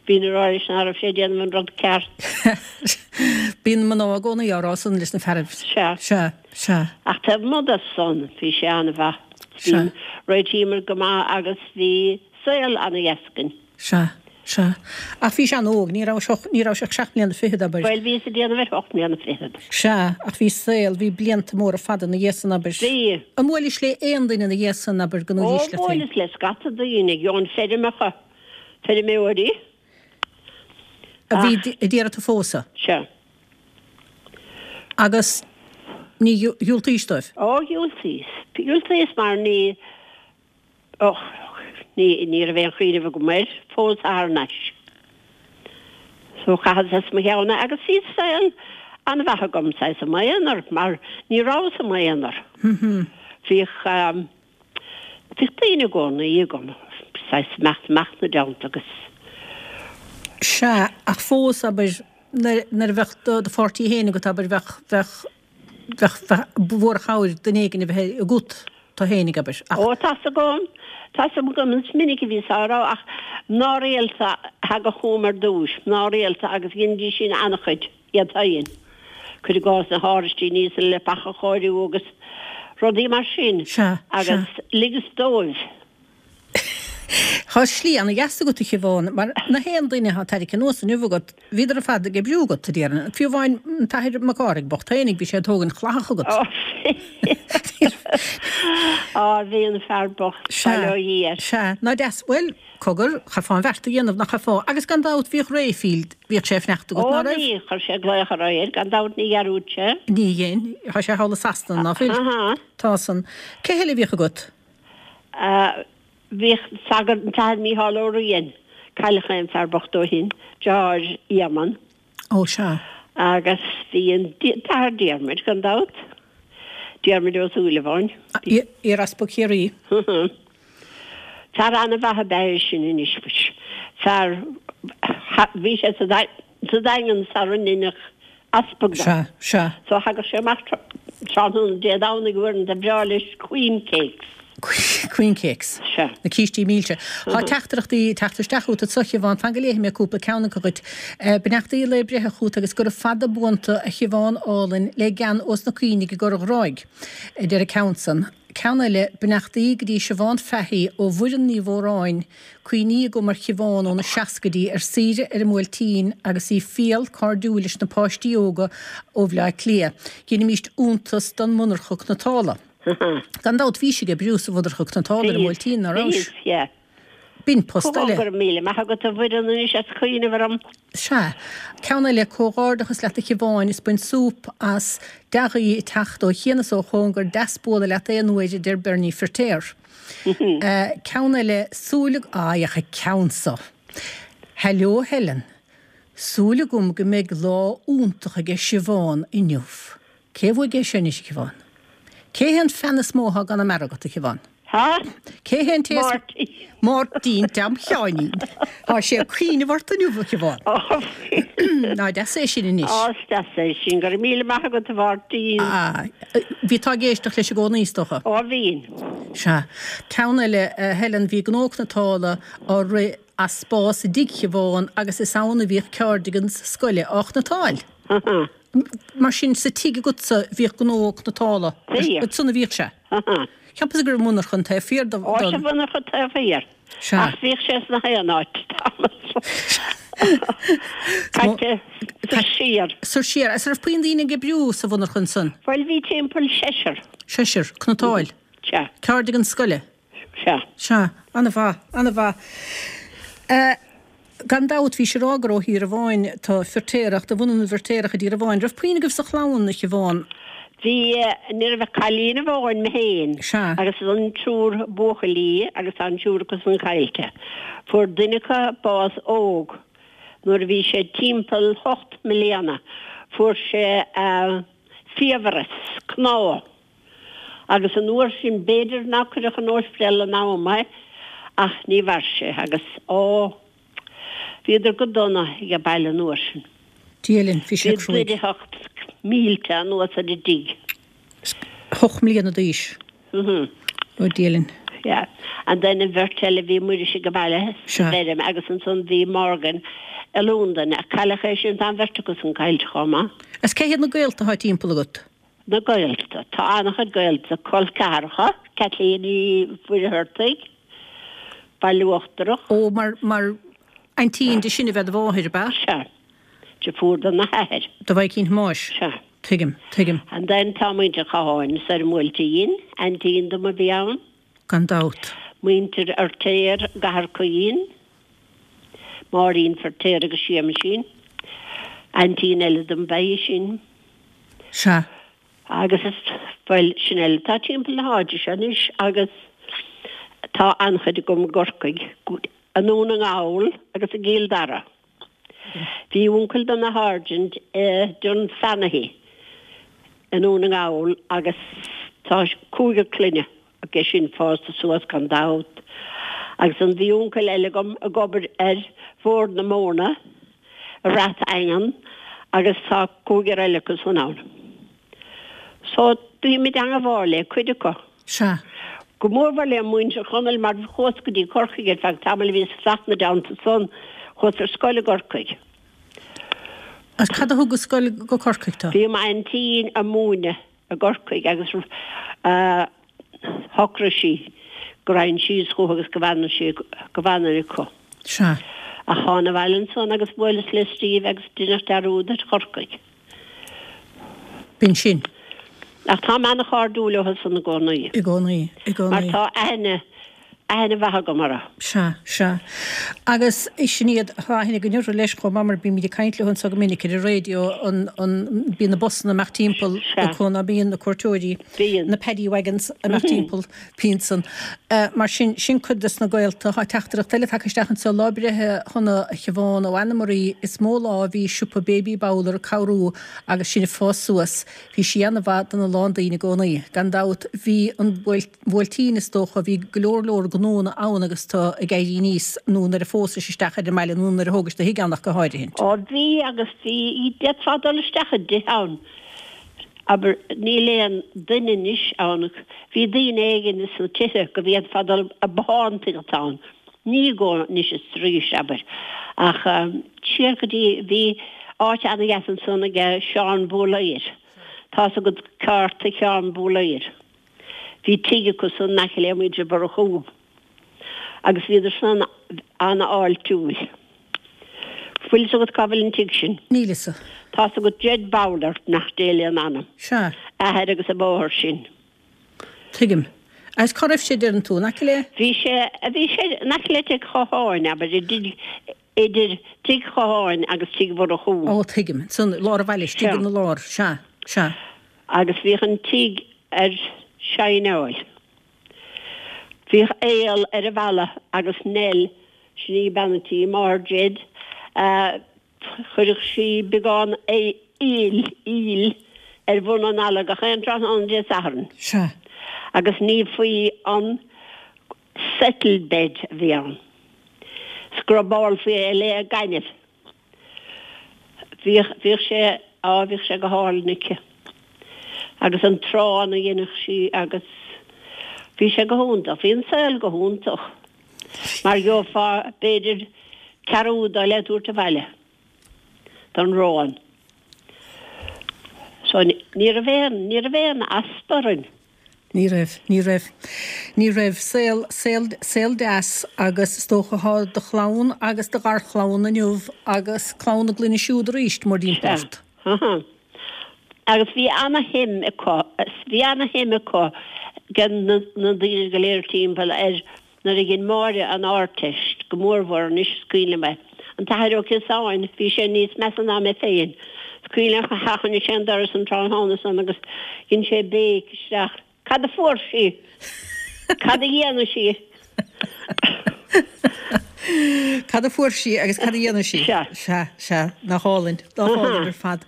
bhínn ag rá leis ná raibh sé ag déanamh an rud ceart. Bíonn mná i gcónaí á rá san leis na fearaibh. Sea. Sea, sea. Ach taobh amuigh de san, bhí sé an-mhaith. Bhí, réitíomar go maith agus bhí saol ana-dheas againn. Sea, sea. Ach bhís an-óg, ní raibh ach, ní raibh ach seacht mbliana fichead, abair. Bhuel, bhíos ag déanamh ar ocht mbliana fichead. Sea, ach bhí saol, bhí blianta móra fada ina dhiaidh san, abair. Bhí. An mbuailis le aon duine ina dhiaidh san, abair, go Ó, ndúirt leat féin? bhuaileas le scata daoine, gheobhainn feirmeacha, feirmeoirí. A bhí ag iarraidh tú a phósadh? Sea. Agus ní dhiúltaís dóibh? Ó, dhiúltaíos. Dhiúltaíos mar ní, Och, ní, ní raibh aon chuimhneamh agam air phósadh thar n-ais. So chaitheas as mo cheann é agus bhí saol an-mhaith agam, saghas i m'aonar, mar ní rabhas i m'aonar. Bhíodh, bhíodh daoine i gcónaí agam, saghas imeacht amach 'na dteannta agus. Sea, ach fós, abair, nuair, nuair a bheadh do, do pháirtí féin agat, abair, bheadh, bheadh, bheadh, bheadh, ba mhór an chabhair duine éigin a bheith agat. Tú fhéinig, abair, ach. Ó, tá's agam, tá's agam, is minic a bhíos á rá, ach mná rialta a thagadh chugam ar dtúis, mná rialta agus dheinidís sin an-chuid, iad féin, cuir i gcás na háraistíní is an leapacha a chóiriú agus rudaí mar sin, Sea, sea. agus ligeas dóibh. Tá slí ana-dheas agat, a Shiobhán, mar na haon duine atá tarraingthe anuas inniu agat, bhíodar ar fad ag oibriú agat, a déarfainn. Fiú amháin an tAthair Mac Cárthaigh bocht fhéinig, bhí sé ag tógaint chlathach agat. Á, bhí an fear bocht, Sea, bail ó Dhia air. sea, ná deas, bhuel, cogar, chaithfeá an bheart a dhéanamh, nach chaithfeá, agus gan dabht bhíodh Rayfield, bhíodh sé ag fanacht agat, Ó, ná raibh? bhí, chuir sé glaoch ar air, gan dabht ní dhearúd sé. Ní dhein, tá sé thall i Sasana, ná fuil? Aha. Tá san. Cé heile a bhíodh agat? Ah, Bhíodh sagart an tAthair Mícheál Ó Riain, cailleadh é an fear bocht ó shin, deartháir Éamonn. Ó sea. Agus bhí an tAthair Diarmuid, gan dabht, Diarmuid Ó Súilleabháin. Iar-Easpag Chiarraí. Fear an-mhaith ab ea é sin anois, muis. Fear, bhí sé sa Daingean sara ndeineadh easpag de. Sea, sea. So thagadh sé amach tráthnóna Dé Domhnaigh uaireanta, ba bhreá leis queen cakes. Queen cakes. Sea. Na cístí milse. Tá teachtaireachtaí ag teacht isteach chugat anso, a Shiobhán. Fan go léifidh mé cúpla ceann acu dhuit. Beannachtaí lae breithe chugat agus gura fada buan tu, a Shiobhán álainn, le gean ós na Caoinigh i gCorr Ghráig, a deir an ceann san. Ceann eile, beannachtaí go dtí Siobhán Fahy ó Mhuireann Ní Mhóráin, cuimhní agam ar Shiobhán ó na seascaidí ar saoire ar an mBuailtín agus í fial cairdiúil leis na páistí óga ó Bhleá Cliath. Dheinimíst iontas don mhonarcha cniotála. Gan dabht bhís ag oibriú sa mhonarcha cniotála ar an mBuailtín, ná rabhais? Bhíos, yeah. B'in post eile. Go raibh míle maith agat a Mhuireann anois as cuimhneamh orm. Sea. Ceann eile, comhghairdeachas leat a Shiobháin, is bain súp as dea-ghuí ag teacht ó chian is ó chóngar, deas bualadh leat aon uair a deir Bernie Firtéar. Ceann eile, súil ag, ah, féach an ceann so. Hello Helen. Súil agam go mbeidh lá iontach aige Siobhán inniu. Cé bhuaigh é sin anois, a Shiobhán? Cé hé an fan is mó atá i gConamara agat, a Shiobhán? Há? Cé hé an té is. Máirtín. Máirtín Tom Sheáinín. Tá sé ag cuimhneamh ort inniu, a Shiobhán. Ó, Ná deas é sin anois. Ó, is deas é sin. Go raibh míle maith agat, a Mháirtín. Ah, bhí tú ag éisteacht leis i gcónaí, is dócha? Ó, bhínn. Sea. Ceann eile, a Helen, bhí gnó cniotála á rith as spás i dtigh Shiobhán agus is ann a bhíodh cardigans scoile á chniotáil. Mar sin, sa tigh agatsa bhíodh gnó cniotála. Bhíodh. Ansan a bhíodh sé. Cheapas go raibh monarcha an taobh thiar don. Ó, sa mhonarcha taobh thiar. Sea. Ach bhíodh sé sna haon áit, tamall. Caite soir siar. Soir siar. Agus an raibh puinn daoine ag oibriú sa mhonarcha ansan? Bhuel, bhí timpeall seisear. Seisear, cniotáil. Sea. Cardigan scoile. Sea. Sea. Ana-mhaith, ana-mhaith. Gan dabht, bhís ag rá gur ó Thír Abháin tá Firtéarach, de bhunadh na bhFirtéarach i dTír Abháin. Raibh puinn agaibh sa chlann, a Shiobhán? Bhí, ní raibh ach cailín amháin, mé féin, Sea. agus an triúr buachaillí agus tá an triúr acu san caillte. Fuair duine acu bás óg nuair a bhí sé timpeall hocht mbliana. Fuair sé fiabhras cnámh. Agus an uair sin b'fhéidir nár cuireadh chun ospidéal in am é ach ní mhair sé agus, ó, bhíodar go dona ag baile an uair sin. Dia linn, bhí sé Bhí cruaidh. druid a theacht mílte anuas ar an dtigh. Hocht mbliana d'aois. Mhm. Ó Dia linn. Yeah. And then an bheirt eile bhí Muiris ag baile Sea. sa bhfeirm agus ansan bhí Morgan i Londain ach cailleadh é sin tá an bheirt acu san caillte chomh maith. Is cé hiad na gaolta atá timpeall agat? Na gaolta. Tá an-chuid gaolta, col ceathracha, Caitlín Uí Mhuircheartaigh, Baile Uachtarach. Ó, mar, mar aintín di sin a bheith do mháthair, ab ea? Sea. Deirfiúr dona hathair. Do mhaicín Thomáis. Sea. Tuigim, tuigim. And then tá muintir Chatháin soir an Bhuailtín, aintín dom a bhí ann. Gan dabht. Muintir Fheirtéar, gCathair Caoin, Máirín Feirtéar agus Séamaisín. Aintín eile dom ba ea í sin. Sea. Agus is, bhuel, sin eile atá timpeall na háite seo anois agus tá an-chuid agam i gCorcaigh, i nDún na nGall agus i gCill Dara. Bhí uncail do na Sergeant i Dunfanaghy i nDún na nGall agus tá cúigear clainne aige sin fásta suas gan dabht. Agus an bhí uncail eile agam ag obair ar Bhord na Móna i Rath Eangan agus tá cúigear eile acu san ann. So bímid an-mhór le cuid acu. Sea. Go mórmhór le muintir Chonaill mar chuas go dtí Corcaigh ar feadh tamaill bhíos isteach 'na dteannta san, chuas ar scoil i gCorcaigh. Agus cad a thug go scoil go Corcaigh tú? Bhí m'aintín ag múineadh i gCorcaigh agus shocraigh sí go raghainn síos chucu agus go bhfanadh sí, go bhfanfainn acu. Sea. Ach thána abhaile ansan agus bhuaileas le Steve agus deineadh dearúd ar Chorcaigh. B'in sin. Ach táim ana-chairdiúil leo san i gcónaí. I gcónaí, i Mar gcónaí. tá aithne, aithne mhaith agam orthu. Sea, sea. Agus sin iad, tá aithne againn orthu leis chomh maith mar bímid ag caint leo anseo go minic ar an raidió, an, an, bíonn na busanna ag imeacht timpeall Sea. acu ná bíonn na cuairteoirí, Bíonn. na paddy wagons ag imeacht timpeall, bíonn san. Mar sin, sin cuid des na gaolta. Tá teachtaireacht eile tagtha isteach anseo, lá breithe shona a Shiobhán ó Anna Marie, is mó lá a bhí siopa Baby Bowler ag cabhrú agus sinn ag fás suas. Bhí sí ana-mhaith dona lán daoine i gcónaí. Gan dabht bhí an Bhuailtín is dócha, bhí go leor leor gnónna ann agus tú ag éirí aníos nó nuair a phósais isteach ar an mbaile nó nuair a thógais do thigh ann ach go háirithe. Ó bhí agus bhí, d'fhéadfá dul isteach i dtithe ann, abair, níl aon duine anois ann, bhí daoine éigin sna tithe go bhféadfá dul a bothántaíocht ann, ní go anois is arís, abair, ach siar go dtí, bhí áit ana-dheas ansan aige Seán Búlaeir, tá's agat cárta Sheán Búlaeir. Bhí tigh acu san in aice le muintir Mhurchú agus bhíodar san an-fháiltiúil. Bhfuil 'fhios agat cá bhfuil an tigh sin? Níl 'fhios. Tá's agat Jed Bowler, nach Dé lena anam. Sea. Athair agus a mháthair sin. Tuigim. Agus cá raibh sé, deireann tú, in aice le? Bhí sé, bhí sé in aice le tigh Chatháin, abair, idir tigh Chatháin agus tigh Mhurchú. Ó, tuigim. San lár an bhaile, istigh ina lár. Sea, sea. Agus bhíodh an tigh ar shineáil. Bhíodh aol ar an bhalla agus Nell, sin í bean an tí, máthair Jed, chuireadh sí beagán aoil, aoil, ar bhun an fhalla gach aon tráthnóna Dé Sathairn. Sea. Agus ní faoi an settle bed a bhí ann. Scrubálfaí é le gaineamh. Bhíodh, bhíodh sé, á, bhíodh sé go hálainn aici. Agus an t-arán a dhéanadh sí agus bhí sé go hiontach, bhí an saol go hiontach. Mar gheofá b'fhéidir ceathrú dó le tabhairt abhaile don arán. So ní raibh aon, ní raibh aon easpa orainn. Ní raibh, ní raibh. Ní raibh. Saol, saol, saol deas agus is dócha thá do chlann agus do gharchlann inniu agus clann na gclainne siúd arís mórthimpeall Sea. ort. Aha. Agus bhí ana-shuim acu, bhí ana-shuim acu ag na, na daoine go léir timpeall ar nuair a dhein Máire an Ardteist, go mórmhór anois is cuimhin liom é. An tAthair Ó Ciosáin, bhí sé níos measa ná mé féin. Is cuimhin liom choinnigh sé an doras an tráthnóna san agus dhein sé béic isteach, Cad a fuair sí? Cad a dhéanfaidh sí? Cad a fuair sí agus cad a dhéanfaidh sí? Sea. Sea, sea. Nach álainn. Nach álainn ar fad.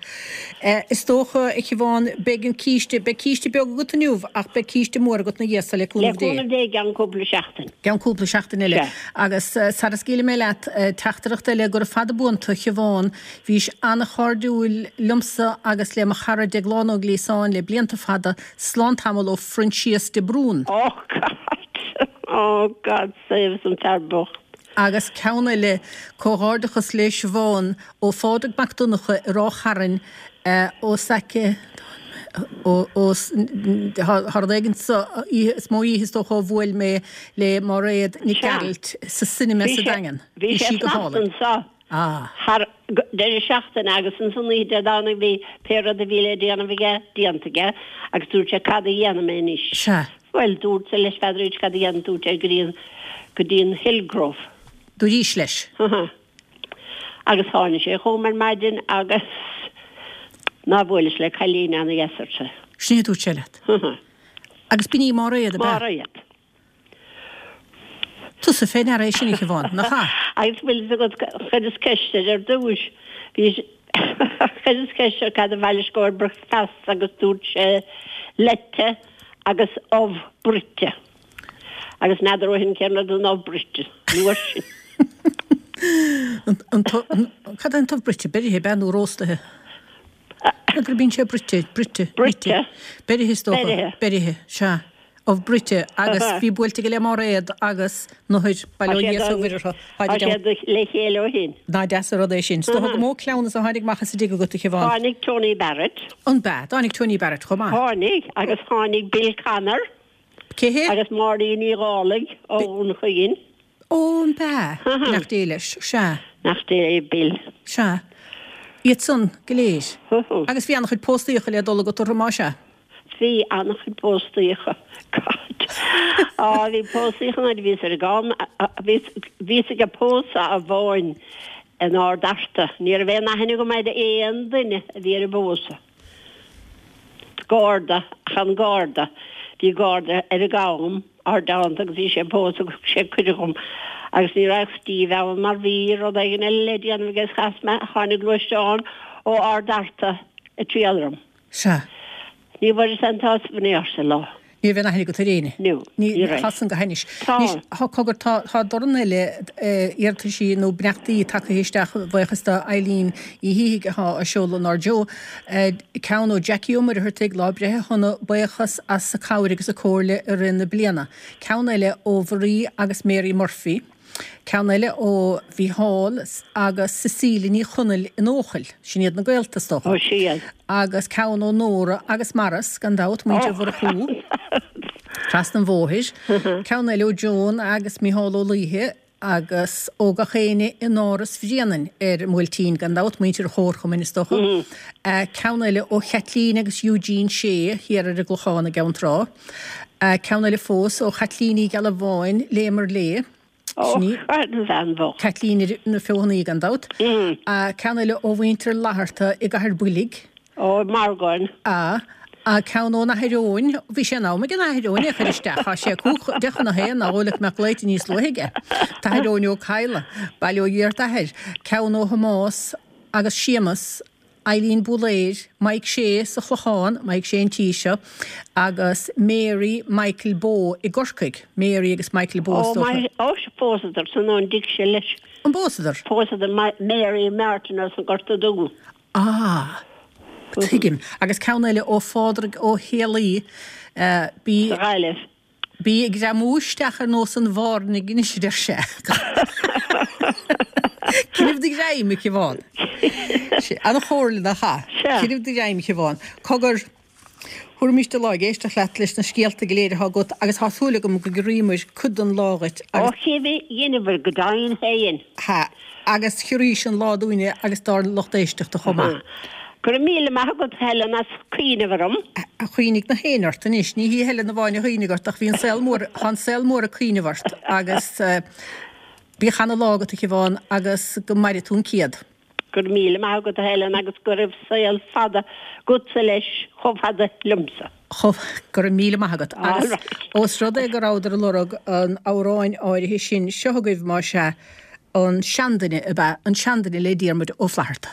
Is dócha, a Shiobhán, beidh an císte, beidh císte beag agat inniu ach beidh císte mór agat ina dhiaidh so le Le cúnamh Dé. cúnamh Dé i gceann cúpla seachtain. Gceann cúpla seachtain eile. Sea. Agus sara scaoilfidh mé leat, teachtaireacht eile, gura fada buan tú, a Shiobhán, bhís an-chairdiúil liomsa agus le mo chara Deaglán Ó Gliasáin le blianta fada, slán tamall ó Phroinsias de Brún. Oh God! Oh God save us an fear bocht. Agus ceann eile, comhghairdeachas le Siobhán ó Phádraig Mac Donncha i Ráth Chairn, os aice, ó, ó, tá rud éigin sa oíche, is mó oíche is dócha a bhuail mé le Máiréad Nic Sea. Gearailt sa cinema Bhí sa sé, Daingean. bhí Bhí sé sí go fanacht hálainn. anseo Ah. thar deireadh seachtaine agus ansan oíche Dé Domhnaigh bhí pé rud a bhí le déanamh aige déanta aige agus dúirt sé cad a dhéanfaidh mé anois? Sea. Bhuel, dúrtsa leis n'fheadar cad a dhéanfaidh, dúirt sé go dtí an, go dtí an Hillgrove. Dúraís leis. Aha. Agus tháinig sé chugam ar maidin agus ná buailis le cailín ana-dheas arsa. Sin é a dúirt sé leat. Aha. Agus b'in í Máiréad, ab ea? Máiréad. Tusa fé ndeara é sin, a Shiobhán, nach ea? Agus bhfuil fhios agat, chuireas ceist air ar dtúis, bhí, chuireas ceist air cad a mhaith leis go bricfeasta agus dúirt sé leite agus ubh bruite. Agus n'fheadar ó shin cén rud an ubh bruite, an uair sin. An, an, an, cad é an t-ubh bruite? Beirithe, ab ea, nó róstaithe? N'fheadar bíonn sé bruite, bruite, Bruite. Beirithe is dócha. Beirithe. Beirithe, sea. Ubh bruite agus bhí buailte aige le Máiréad agus nathair, bail ó Dhia is ó Mhuire orthu. Tá siad le chéile ó shin. Nach deas an rud é sin. Is dócha gur mó cleamhnas a tháinig amach as an dtigh agat, a Shiobhán. Tháinig Tony Barrett. An b'ea? Tháinig Tony Barrett chomh maith. Tháinig agus tháinig Bill Connor. Cé hé? Agus Máirín Ní Dhálaigh ó Dhún Chaoin. Ó, an b'ea? Beannacht Dé leis. Sea. Beannacht Dé le Bill. Sea. Iad san go léir. Agus bhí an-chuid póstaíocha le dul agat orthu, más ea? Bhí an-chuid póstaíocha. God. Á, bhí póstaíocha nuair a bhíos ar an gcam, bhíos, bhíos ag pósadh amháin in Ard Fhearta. Ní raibh aon aithne agam ar aon duine a bhí ar an bpósadh. Garda, ach an garda. Bhí garda ar an gcam, ár dteannta agus bhí sé ag pósadh agus thug sé cuireadh dhom agus ní raibh Steve ann mar bhí rud éigin eile le déanamh aige is chas mé, tháinig gluaisteán ó Ard Fhearta ag triall orm. Sea. Ní bhfuaireas aon tsásamh in aon chor sa lá. Ní raibh aon aithne agat ar éinne? No, ní ní raibh. Tá san go hainnis. Tá. Anois, thá, cogar, tá, tá dorn eile iarrataisí nó beannachtaí tagtha isteach, buíochas do Eileen Uí Shíthigh athá á seoladh inár dtreo. Ceann ó Jackie Ó Muircheartaigh, lá breithe shona, buíochas as a cabhair agus a comhairle i rith na bliana. Ceann eile ó Mharie agus Mary Murphy. Ceann eile ó Mhícheál agus Cecilia Ní Chonaill in Eochaill, sin iad na gaolta is dócha. Ó, sea. Agus ceann ó Nóra agus Maurice, gan dabht, muintir Mhurchú, trasna an bhóthair. Ceann eile ó Joan agus Mícheál Ó Laoithe agus ó gach éinne in Áras Bhréanainn ar an mBuailtín, gan dabht, muintir an Chomharchumainn is dócha. Ceann eile ó Chaitlín agus Eugene Shea thiar ar an gClochán i gCeann Trá. Ceann eile fós ó Chaitlín Uí Ghealbháin, léim ar lé. Ó, Sin í. an bhean bhocht. Caitlín na Feothanaí gan dabht. Ceann eile ó mhuintir Fhlatharta i gCathair Boilg. Ó, Margáin. A, a ceann ón Athair Eoin, bhí sé in am ag an Athair Eoin é a chur isteach, tá sé cúig deich chun a haon, nár dhóigh leat go mbeadh glaoite níos luaithe aige. T-Athair Eoin Ó Cadhla, bail ó Dhia ort Athair. Ceann ó Thomás agus Séamus, Eileen Búlaeir, Mike Shea sa Chlochán, Mike Shea an tí seo, agus Mary Michael Bowe i gCorcaigh. Mary agus Michael Bowe is Ó, dócha. my, ó, phósadar san ón dtig sé leis. An bpósadar? Phósadar Mary Martin as an Gorta Dubh. Ah, tuigim. Agus ceann eile ó Phádraig Ó Héalaí, bí. Sa Ghaillimh. Bí ag greamú isteach ar nós an bhairnigh anois, a deir sé. Coinnibh do ghreim, a Shiobhán. An-chomhairle nach ea? Sea. Coinnibh do ghreim, a Shiobhán. Cogar, thabharfaimis do lá ag éisteacht leat leis na scéalta go léir atá agat agus tá súil agam go gciorraíomar cuid den lá dhuit Ó, agus. cibé, dheineabhair go deimhin féin. Ha, agus chiorraís an lá dúinne agus dár lucht éisteachta chomh maith. Go raibh míle maith agat, Helen, as cuimhneamh orm. Chuimhnigh na héinne ort anois, ní hí Helen amháin a chuimhnigh ort ach bhí an saol mór, tá an saol mór ag cuimhneamh ort agus bíodh ana lá agat a Shiobhán agus go maire tú an céad. Go raibh míle maith agat, a Helen, agus go raibh saol fada agatsa leis chomh fada liomsa. Chomh, go raibh míle maith agat. Agus All right. ós rud é go rabhadar ag lorg an amhráin áirithe sin, seo agaibh más ea, an seanduine ab ea an seanduine le Diarmuid Ó Flaithearta.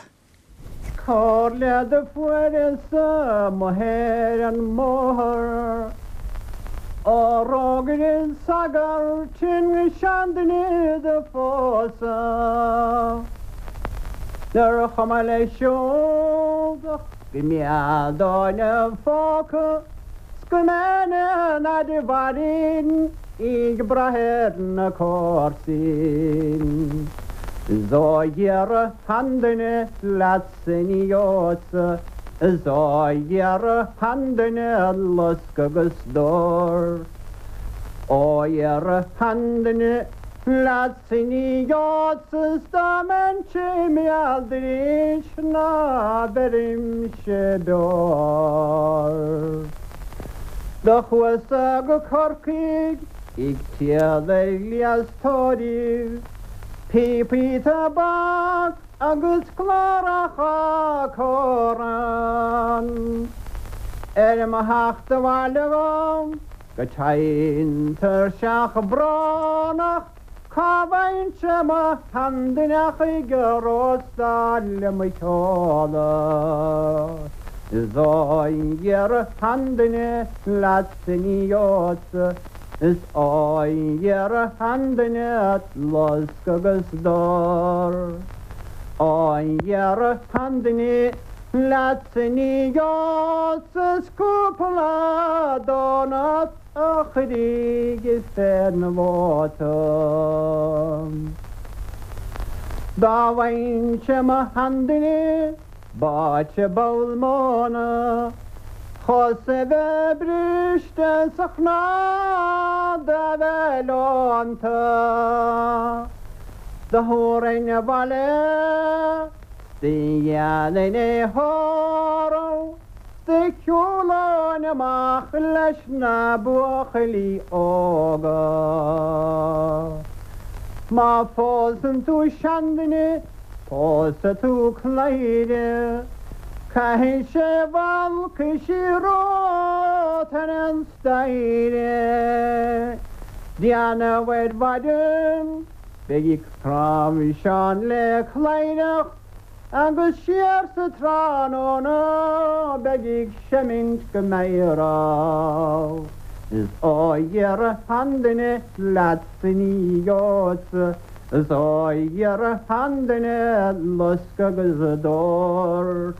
Comhairle do fuaireas-sa amuigh ar an mbóthar Ó d'fhógair an sagart an seanduine do phósadh Nár chuma leis siúd ach go mbeadh dóthain 'na phóca 's go mbeinn an fhaid a mhairfinn ag brath ar na comharsain. 'S ó dhera sheanduine leatsa ní gheobhadsa 'S ó dhera sheanduine lusc agus dor. Ó dhera sheanduine leatsa ní gheobhadsa 's dá mbeinnse im fheall arís ná beirimse beoir. Do chuas-sa go Corcaigh ag triall ar ghléas tórraimh, píopaí tobac agus cláracha comhrainn. Ar mo theacht abhaile dhom go tinn tuirseach brónach, cá bhfaighinn-se mo sheanduine ach ag róstáil le mo chodladh. 'S ó dhera sheanduine leatsa ní gheobhadsa 'S ó dhera sheanduine lusc agus dor. Ó dhera sheanduine leatsa ní gheobhadsa 's cúpla donut a chuirfidh fén mhóta. Dá bhfaighinnse mo sheanduine báite ball móna, Chos a bheith briste 's a chnad a bheith leonta. Do thabharfainn abhaile 's do dhéanfainn é thórramh 's do shiúlóinn amach leis na buachaillí óga. Má phósann tú seanduine pósfaidh tú cladhaire, Caithfidh sé balcaisí romhat ar an staighre. Déanamh ar mhaidin beidh ag cnáimhseán le cladhaireacht agus siar sa tráthnóna beidh ag seimint go meidhreach. Is á iarraidh an duine leatsa ní gheobhadsa, is á iarraidh an duine lusc agus dord.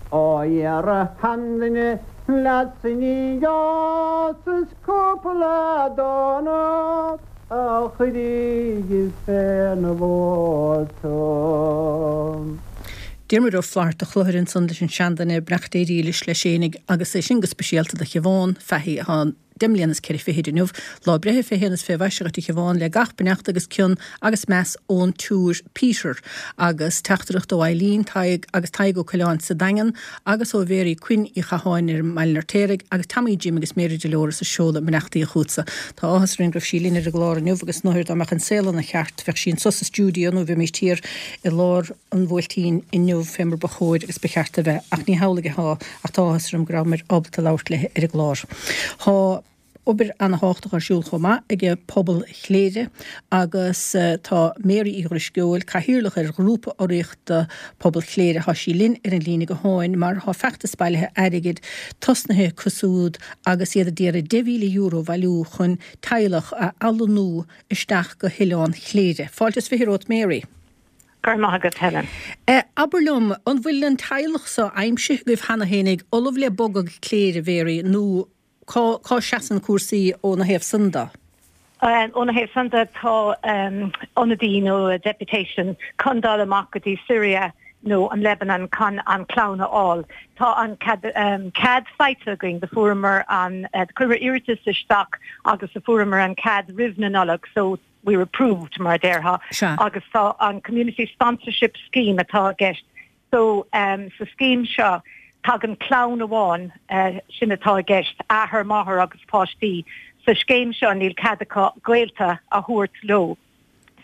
Á iarraidh an duine leatsa ní gheobhadsa is cúpla donut a chuirfidh féna bhóta. Diarmuid Ó Flaithearta Chlochair ansan leis an seanduine beannacht Dé dhílis leis fhéinig agus é sin go speisialta do Shiobhán Fahey atá deich mbliana is ceithre fichid inniu, lá breithe fé shéan is fé mhaise dhuit a Shiobhán le gach beannacht agus cion agus meas ón tSiúr Peter agus teachtaireacht ó Eileen Tadhg agus Tadhg Ó Coileáin sa Daingean agus ó Mhéirí Quinn Uí Chatháin ar an mBaile an Fheirtéaraigh agus Tommy Jim agus Mary Dolores a seoladh beannachtaí chugatsa. Tá áthas orainn go raibh sí linn ar an gclár inniu agus nuair dá mbeadh an saol ina cheart bheadh sí anso sa stiúideo nó bheimis thiar i lár an Bhuailtín inniu fé mar ba chóir agus ba cheart a bheith ach ní hamhlaidh atá ach tá áthas orm go rabhamar ábalta labhairt léi ar an gclár. Tá obair an-tábhachtach ar siúl chomh maith ag pobal Chléire agus uh, tá Mary Uí Dhrisceoil cathaoirleach ar ghrúpa urraíochta pobal Chléire tá sí linn ar an líne gutháin mar tá feachtas bailithe airgid tosnaithe acu siúd agus iad ag iarraidh deich mhíle euro a bhailiú chun teaghlach a athlonnú isteach go hOileán Chléire. Fáilte is fiche romhat Mary. Go raibh maith agat Helen. Eh, Abair liom an bhfuil an teaghlach seo aimsithe agaibh cheana féinig ullamh le bogadh Cléire Mary nó cá, cá seasann cúrsaí óna thaobh san de? Um, óna thaobh san de tá um, ionadaí nó deputation chun dul amach go dtí Syria nó an Lebanon chun an clann a fháil. Tá an cead, um, cead faighte againn do fuaireamar an uh, chuireamar iarratas isteach agus a fuaireamar an cead roimh na Nollag, so we were approved mar déarfá agus tá an community sponsorship scheme atá i gceist. So um, sa scheme seo tagann clann amháin uh, sin atá i gceist athair máthair agus páistí. Sa scéim seo níl cead acu gaolta a thabhairt leo.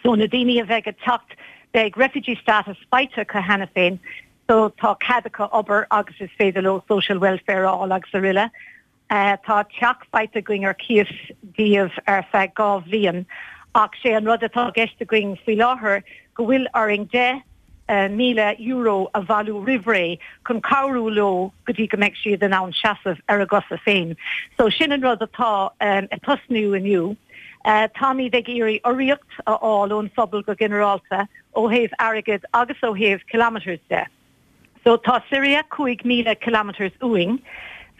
So na daoine a bheidh ag teacht beidh refugee status faighte acu cheana féin, so tá cead acu obair agus is féidir leo social welfare fháil agus araile. Uh, tá teach faighte againn ar cíos dóibh ar feadh dhá bhliain ach sé an rud atá i gceist againn faoi láthair go bhfuil orainn deich uh, míle euro a bhailiú roimh ré chun cabhrú leo go dtí go mbeidh siad in ann seasamh ar a gcosa féin. So sin an rud atá um, ag tosnú inniu. Uh, Táimid ag iarraidh urraíocht a fháil ón phobal go ginearálta ó thaobh airgid agus ó thaobh kilometers de. So tá Syria cúig míle kilometers uainn,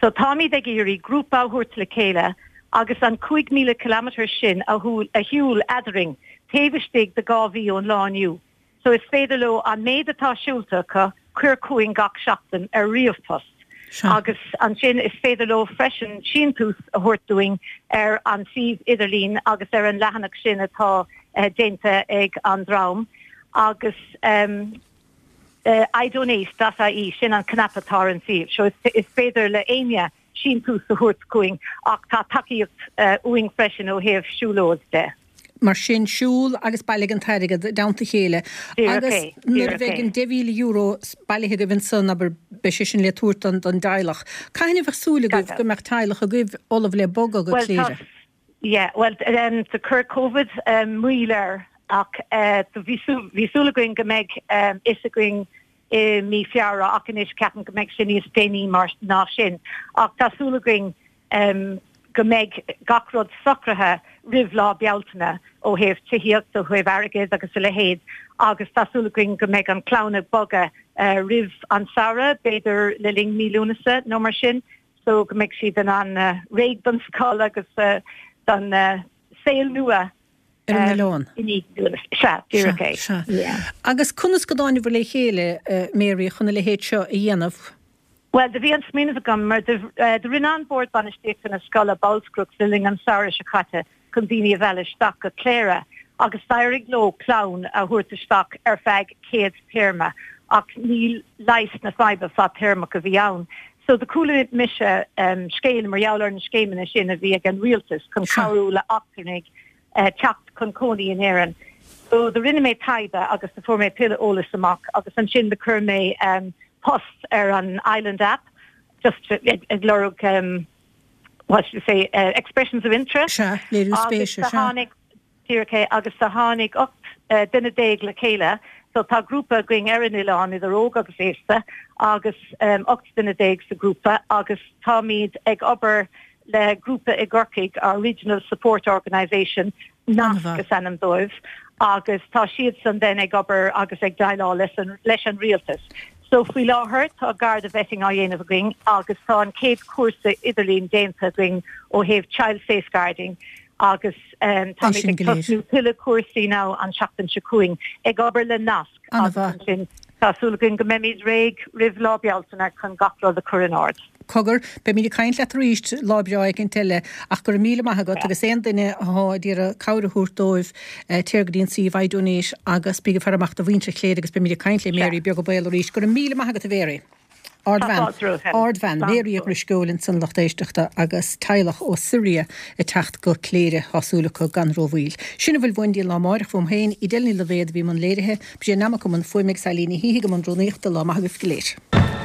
so táimid ag iarraidh grúpa a thabhairt le chéile agus an cúig míle kilometers sin a a shiúl eadrainn taobh istigh de dhá mhí ón lá inniu. So is féidir leo an méid atá siúlta acu cur chugainn gach seachtain ar ríomhphost. Agus ansin is féidir leo freisin síntiús a thabhairt dúinn ar an suíomh idirlín agus ar an leathanach sin atá uh, déanta ag an dream agus um, uh, idonate.ie sin an cnaipe atá ar an suíomh. So is, is féidir le éinne síntiús a thabhairt chugainn ach tá tacaíocht uh, uainn freisin ó thaobh siúlóid de. Mar sin siúl agus bailigh an t-airgead i dteannta a chéile. Agus nuair a bheidh an deich mhíle euro bailithe agaibh ansan abair beidh sé sin le tabhairt don don teaghlach. Cathain a bheadh súil agaibh go mbeadh teaghlach agaibh ullamh le bogadh go Cléire. Yeah, well um, do chuir COVID um, moill air ach uh, bhí súil againn go mbeidh um, fhios againn i mí Feabhra ach anois ceapaim go mbeidh sin níos déanaí mar ná sin. Ach tá súil againn um, go mbeidh gach rud socraithe roimh lá Bealtaine ó thaobh tithíocht ó thaobh airgid agus a leithéid agus tá súil againn go mbeidh an clann ag bogadh uh, roimh an samhradh, b'fhéidir le linn mí Lúnasa nó mar sin, so go mbeidh siad in ann uh, réidh don scoil agus uh, don uh, saol nua ar an oileán. Sea, díreach é. Agus conas go dtáinibh le chéile Mary chun a leithéid seo a dhéanamh? Well, do bhí an smaoineamh agam mar do rinne an bord bainistíochta na scoile bolscaireacht le linn an samhradh seo caite chun daoine a mhealladh isteach go Cléire agus d'éirigh leo clann a thabhairt isteach ar feadh céad téarma ach níl leigheas na faidhbe fadtéarmach a bhí ann. So do chuala mise um, scéal mar gheall ar na scéimeanna sin a bhí ag an rialtas chun cabhrú le eachtrannaigh uh, teacht chun cónaí in Éirinn. So do rinne mé taighde agus do fuair mé tuilleadh eolas amach agus ansin do chuir mé um, post ar an Island app just ag lorg um, what should I say uh, expressions of interest. Sea, léiriú spéise, sea. Tháinig díreach agus do tháinig ocht uh, duine déag le chéile, so tá grúpa againn ar an oileán idir óg agus aosta agus um, ocht duine déag sa grúpa agus táimid ag obair le grúpa i gCorcaigh, our Regional Support Organisation, NASC is ainm dóibh, agus tá siadsan then ag obair agus ag déileáil leis an, leis an rialtas. So faoi láthair tá Garda vetting á dhéanamh againn agus tá an chéad chúrsa idirlín déanta againn ó thaobh child safeguarding agus um, tá sin ag go léir. tosnú tuilleadh cúrsaí now an seachtain seo chugainn ag obair le NASC agus An-mhaith. ansin tá súil againn go mbeimid réidh roimh lá Bealtaine chun gach rud a chur in ord. Cogar, beimid ag caint leat arís lá breá éicint eile ach go raibh míle maith agat agus aon duine atá ag iarraidh cabhair a thabhairt dóibh eh, téir go dtí an suíomh iDonate agus bí ag faire amach do mhuintir Chléire agus beimid ag caint le Mary beag beal arís go raibh míle maith agat a Mhary. Ardbhean fáilte romhat. Ardbhean Mary Drisceoil ansan lucht éisteachta agus teaghlach ó Siria ag teacht go Cléire tá súil acu gan rómhoill. Sin a bhfuil uainn lá amárach uaim féin Edel Ní Loibhéad a bhí i mbun léirithe, B'é namach an fuaim ag Sailíní hí go an rúnaíochta lá maith agaibh go léir.